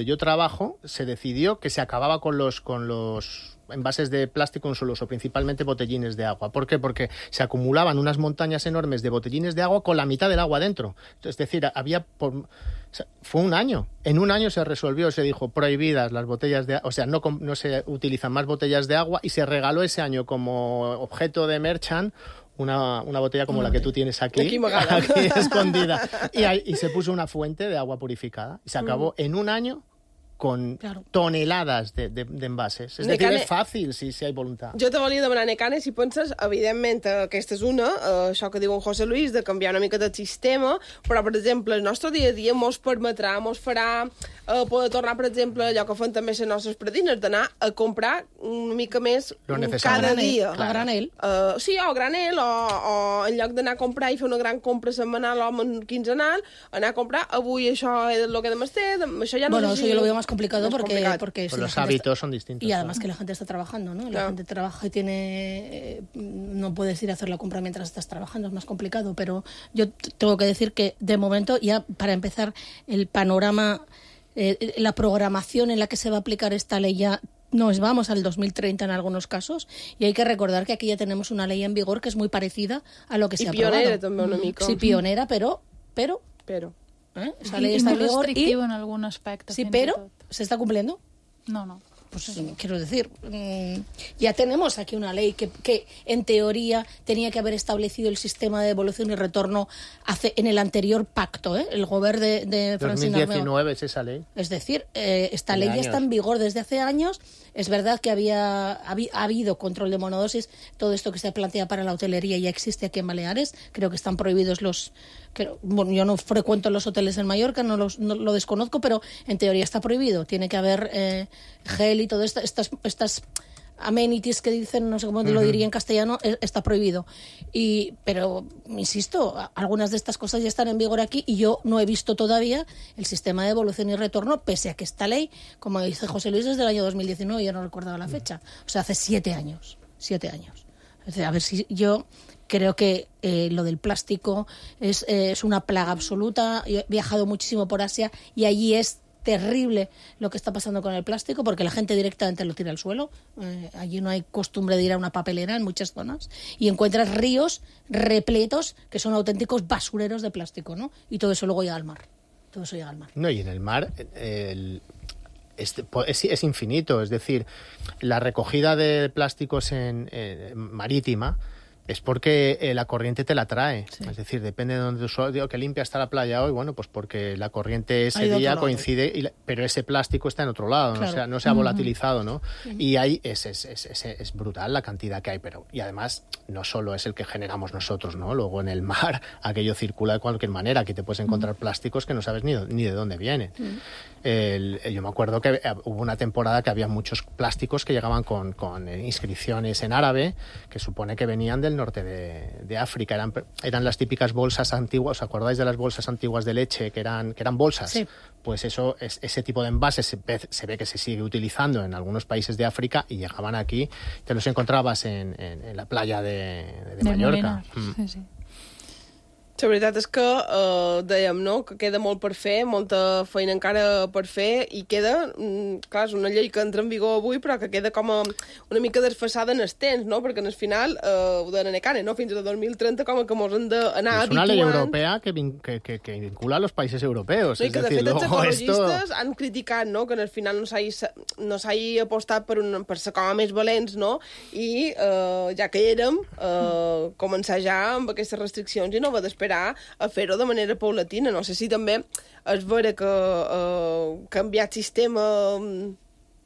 S6: yo trabajo, se decidió que se acababa con los envases de plástico en su uso, principalmente botellines de agua. ¿Por qué? Porque se acumulaban unas montañas enormes de botellines de agua con la mitad del agua dentro. Es decir, fue un año. En un año se resolvió, se dijo prohibidas las botellas de agua, o sea, no se utilizan más botellas de agua, y se regaló ese año como objeto de merchant una botella como la que tú tienes aquí escondida. Y se puso una fuente de agua purificada. Y se acabó en un año con tonelades de envases. És decir, és fàcil si hi ha voluntat.
S1: Jo te volia demanar, Necane, si penses, evidentment, aquesta és una, això que diu en José Luis, de canviar una mica del sistema, però, per exemple, el nostre dia a dia mos permetrà, mos farà poder tornar, per exemple, allò que fan també les nostres predines, d'anar a comprar una mica més cada dia.
S7: A granel.
S1: Sí, o a granel, o en lloc d'anar a comprar i fer una gran compra setmanal o quinzenal, anar a comprar, avui això és el que demà té, això ja no
S7: sé si... Bueno, yo lo veo más complicado porque
S6: pues los hábitos son distintos.
S7: Y además que la gente está trabajando, ¿no? La gente trabaja y no puedes ir a hacer la compra mientras estás trabajando, es más complicado, pero yo tengo que decir que de momento, ya para empezar, el panorama, la programación en la que se va a aplicar esta ley ya nos vamos al 2030 en algunos casos, y hay que recordar que aquí ya tenemos una ley en vigor que es muy parecida a lo que se ha aprobado.
S1: Y pionera también una mica.
S7: Sí, pionera, pero esa ley está en vigor y
S5: en algún aspecto.
S7: Sí, pero ¿se está cumpliendo?
S5: No.
S7: Pues quiero decir, ya tenemos aquí una ley que en teoría tenía que haber establecido el sistema de devolución y retorno en el anterior pacto, el gobierno de Francina Armengol.
S6: 2019 es esa ley.
S7: Es decir, esta ley ya está en vigor desde hace años. Es verdad que ha habido control de monodosis. Todo esto que se plantea para la hotelería ya existe aquí en Baleares. Creo que están prohibidos bueno, yo no frecuento los hoteles en Mallorca, no lo desconozco, pero en teoría está prohibido. Tiene que haber gel y todo estas amenities que dicen, no sé cómo lo diría en castellano, está prohibido. Pero, insisto, algunas de estas cosas ya están en vigor aquí y yo no he visto todavía el sistema de devolución y retorno, pese a que esta ley, como dice José Luis, es del año 2019, yo no recordaba la fecha. O sea, hace 7 años. 7 años. O sea, a ver si yo... Creo que lo del plástico es una plaga absoluta. Yo he viajado muchísimo por Asia y allí es terrible lo que está pasando con el plástico, porque la gente directamente lo tira al suelo. Allí no hay costumbre de ir a una papelera en muchas zonas, y encuentras ríos repletos que son auténticos basureros de plástico, ¿no? Y todo eso luego llega al mar.
S6: No, y en el mar... Es infinito, es decir, la recogida de plásticos marítima es porque la corriente te la trae. Sí. Es decir, depende de donde tú digo que limpia está la playa hoy, bueno, pues porque la corriente ese día coincide, pero ese plástico está en otro lado, claro. No se ha volatilizado, ¿no? Y ahí es brutal la cantidad que hay, y además no solo es el que generamos nosotros, ¿no? Luego en el mar aquello circula de cualquier manera, aquí te puedes encontrar plásticos que no sabes ni de dónde vienen. Yo me acuerdo que hubo una temporada que había muchos plásticos que llegaban con inscripciones en árabe, que supone que venían del norte de África. Eran las típicas bolsas antiguas. ¿Os acordáis de las bolsas antiguas de leche que eran bolsas?
S7: Sí.
S6: Pues ese tipo de envases se ve que se sigue utilizando en algunos países de África y llegaban aquí, te los encontrabas en la playa de Mallorca.
S5: Sí, sí.
S1: La veritat és que dèiem, no?, que queda molt per fer, molta feina encara per fer, i queda, clar, és una llei que entra en vigor avui, però que queda com una mica desfasada en el temps, no?, perquè al final ho deien a Cane, no?, fins al 2030 com que mos hem d'anar habituant.
S6: És una llei europea que vincula a los països europeus.
S1: No, i que de fet els ecologistes han criticat, no?, que al final no s'hagi apostat per ser com a més valents, no?, i ja que hi érem, començar ja amb aquestes restriccions i no haver d'esperar a fer-ho de manera paulatina. No sé si també és vera que canviar el sistema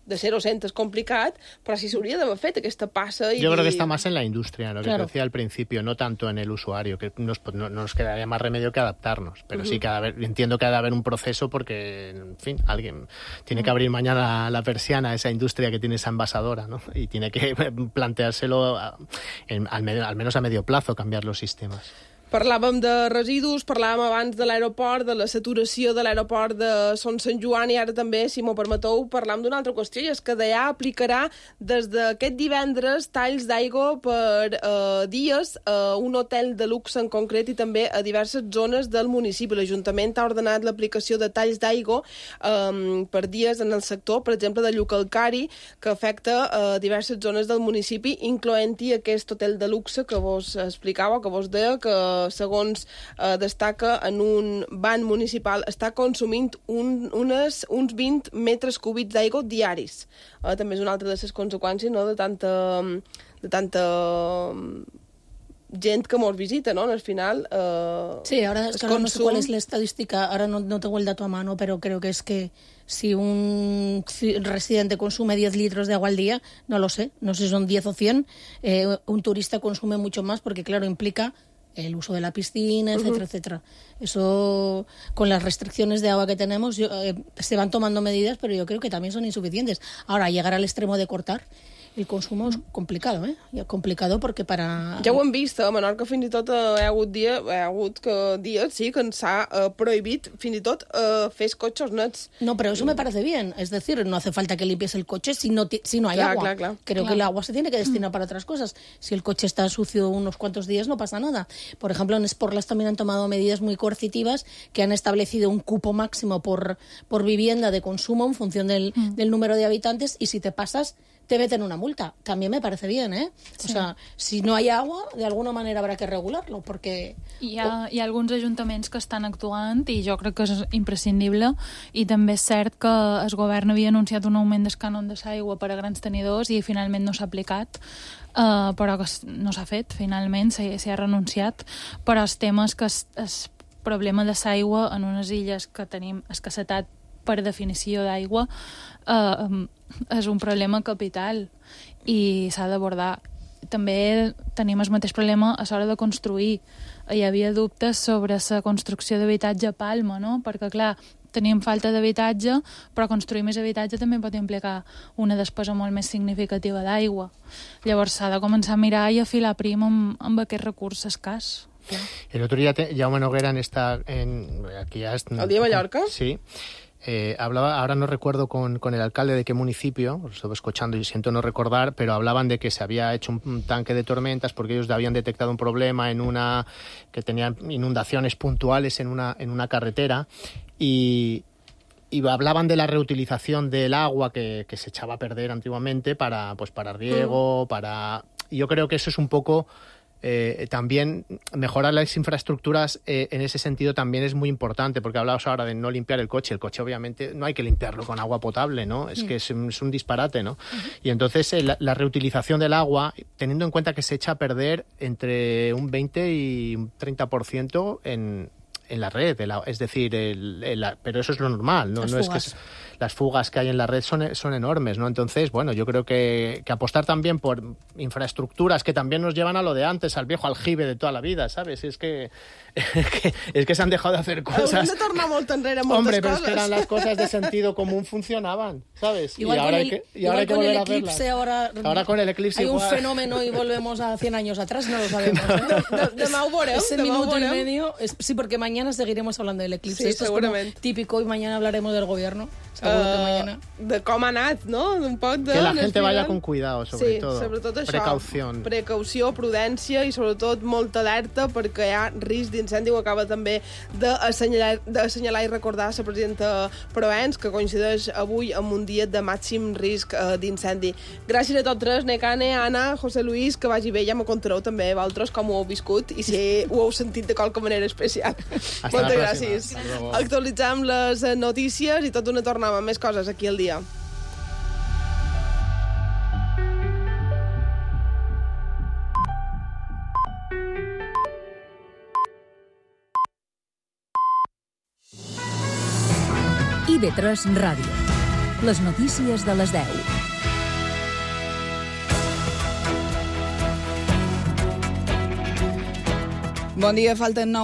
S1: de 0 a 100 és complicat, però sí s'hauria d'haver fet aquesta passa.
S6: Yo creo que está más en la industria, lo que te decía al principio, no tanto en el usuario, que no nos quedaría más remedio que adaptarnos, pero sí que entiendo que ha de haber un proceso porque, en fin, alguien tiene que abrir mañana la persiana a esa industria que tiene esa envasadora, ¿no? Y tiene que planteárselo al menos a medio plazo, cambiar los sistemas.
S1: Parlàvem de residus, parlàvem abans de l'aeroport, de la saturació de l'aeroport de Son Sant Joan, i ara també, si m'ho permeteu, parlam d'una altra qüestió, i és que DEA aplicarà des d'aquest divendres talls d'aigua per dies a un hotel de luxe en concret i també a diverses zones del municipi. L'Ajuntament ha ordenat l'aplicació de talls d'aigua per dies en el sector, per exemple, de Llucalcari, que afecta diverses zones del municipi, incloent-hi aquest hotel de luxe que vos explicava, que vos deia que segons destaca en un ban municipal, està consumint uns 20 metres cúbics d'aigua diaris. També és una altra de les conseqüències, no?, de tanta gent que mos visita, ¿no? Al final
S7: sí, ahora es que no sé cuál es la estadística, ahora no tengo el dato a mano, pero creo que es que si un residente consume 10 litros de agua al día, no lo sé, no sé si son 10 o 100, un turista consume mucho más porque, claro, implica el uso de la piscina, etcétera, etcétera. Eso, con las restricciones de agua que tenemos, se van tomando medidas, pero yo creo que también son insuficientes. Ahora, llegar al extremo de cortar el consumo és complicado, complicado perquè
S1: Ja ho hem vist, a Menorca fins i tot hi ha hagut dies que ens ha prohibit fins i tot fer els cotxes nets.
S7: No, pero eso me parece bien, es decir, no hace falta que limpies el coche si no hay agua. Creo que el agua se tiene que destinar para otras cosas. Si el coche está sucio unos cuantos días no pasa nada. Por ejemplo, en Sportlas también han tomado medidas muy coercitivas que han establecido un cupo máximo por vivienda de consumo en función del número de habitantes, y si te pasas te meten una multa. También me parece bien, ¿eh? Sí. O sea, si no hay agua, de alguna manera habrá que regularlo, perquè...
S5: Hi ha alguns ajuntaments que estan actuant i jo crec que és imprescindible, i també és cert que el govern havia anunciat un augment del cànon de l'aigua per a grans tenidors i finalment no s'ha aplicat, però que no s'ha fet, finalment s'hi ha renunciat, però el tema és que el problema de l'aigua en unes illes que tenim escassetat per definició d'aigua és un problema capital i s'ha d'abordar. També tenim el mateix problema a l'hora de construir. Hi havia dubtes sobre la construcció d'habitatge a Palma, no? Perquè, clar, tenim falta d'habitatge, però construir més habitatge també pot implicar una despesa molt més significativa d'aigua. Llavors s'ha de començar a mirar i afilar prim amb aquest recurs escàs.
S6: El otro día Jaume Noguera ¿El
S1: día de Mallorca?
S6: Sí. Hablaba, ahora no recuerdo con el alcalde de qué municipio, lo estuve escuchando y siento no recordar, pero hablaban de que se había hecho un tanque de tormentas porque ellos habían detectado un problema que tenían inundaciones puntuales en una carretera, y hablaban de la reutilización del agua que se echaba a perder antiguamente para riego, y yo creo que eso es un poco también mejorar las infraestructuras en ese sentido también es muy importante, porque hablabas ahora de no limpiar el coche. El coche obviamente no hay que limpiarlo con agua potable, ¿no? Es que es un disparate, ¿no? Y entonces la reutilización del agua, teniendo en cuenta que se echa a perder entre un 20 y un 30% en la red, es decir, pero eso es lo normal, ¿no? No es que las fugas que hay en la red son enormes, ¿no? Entonces, bueno, yo creo que apostar también por infraestructuras que también nos llevan a lo de antes, al viejo aljibe de toda la vida, ¿sabes? Es que se han dejado de hacer cosas.
S1: Hauríem de tornar molt enrere moltes
S6: Hombre, pero
S1: coses.
S6: es que eran las cosas de sentido común funcionaban, ¿sabes?
S7: Igual
S6: y ahora hay que volver a verlas. Ahora con el eclipse
S7: hay
S6: igual.
S7: un fenómeno y volvemos a 100 años atrás, no lo sabemos. ¿eh?
S1: Demà ho veureu,
S7: Ese minuto y medio, sí, porque mañana seguiremos hablando del eclipse.
S1: Sí,
S7: Esto
S1: seguramente.
S7: es como típico y mañana hablaremos del gobierno. Seguro que mañana.
S1: De com ha anat, no? Un poc de...
S6: Que la gente vaya con cuidado, sobre todo.
S1: Sí, sobretot això.
S6: Precaució,
S1: prudència i sobretot molta alerta perquè hi ha risc d'incendi. Ho acaba també d'assenyalar i recordar la presidenta Provenç, que coincideix avui amb un dia de màxim risc d'incendi. Gràcies a tots tres, Nekane, Anna, José Luis, que vagi bé. Ja me contareu també vosaltres com ho heu viscut i si ho heu sentit de qualque manera especial. Moltes gràcies. Actualitzem les notícies i tot una tornada amb més coses aquí al dia.
S11: IB3 Ràdio. Les notícies de les 10.
S14: Bon dia, falten 9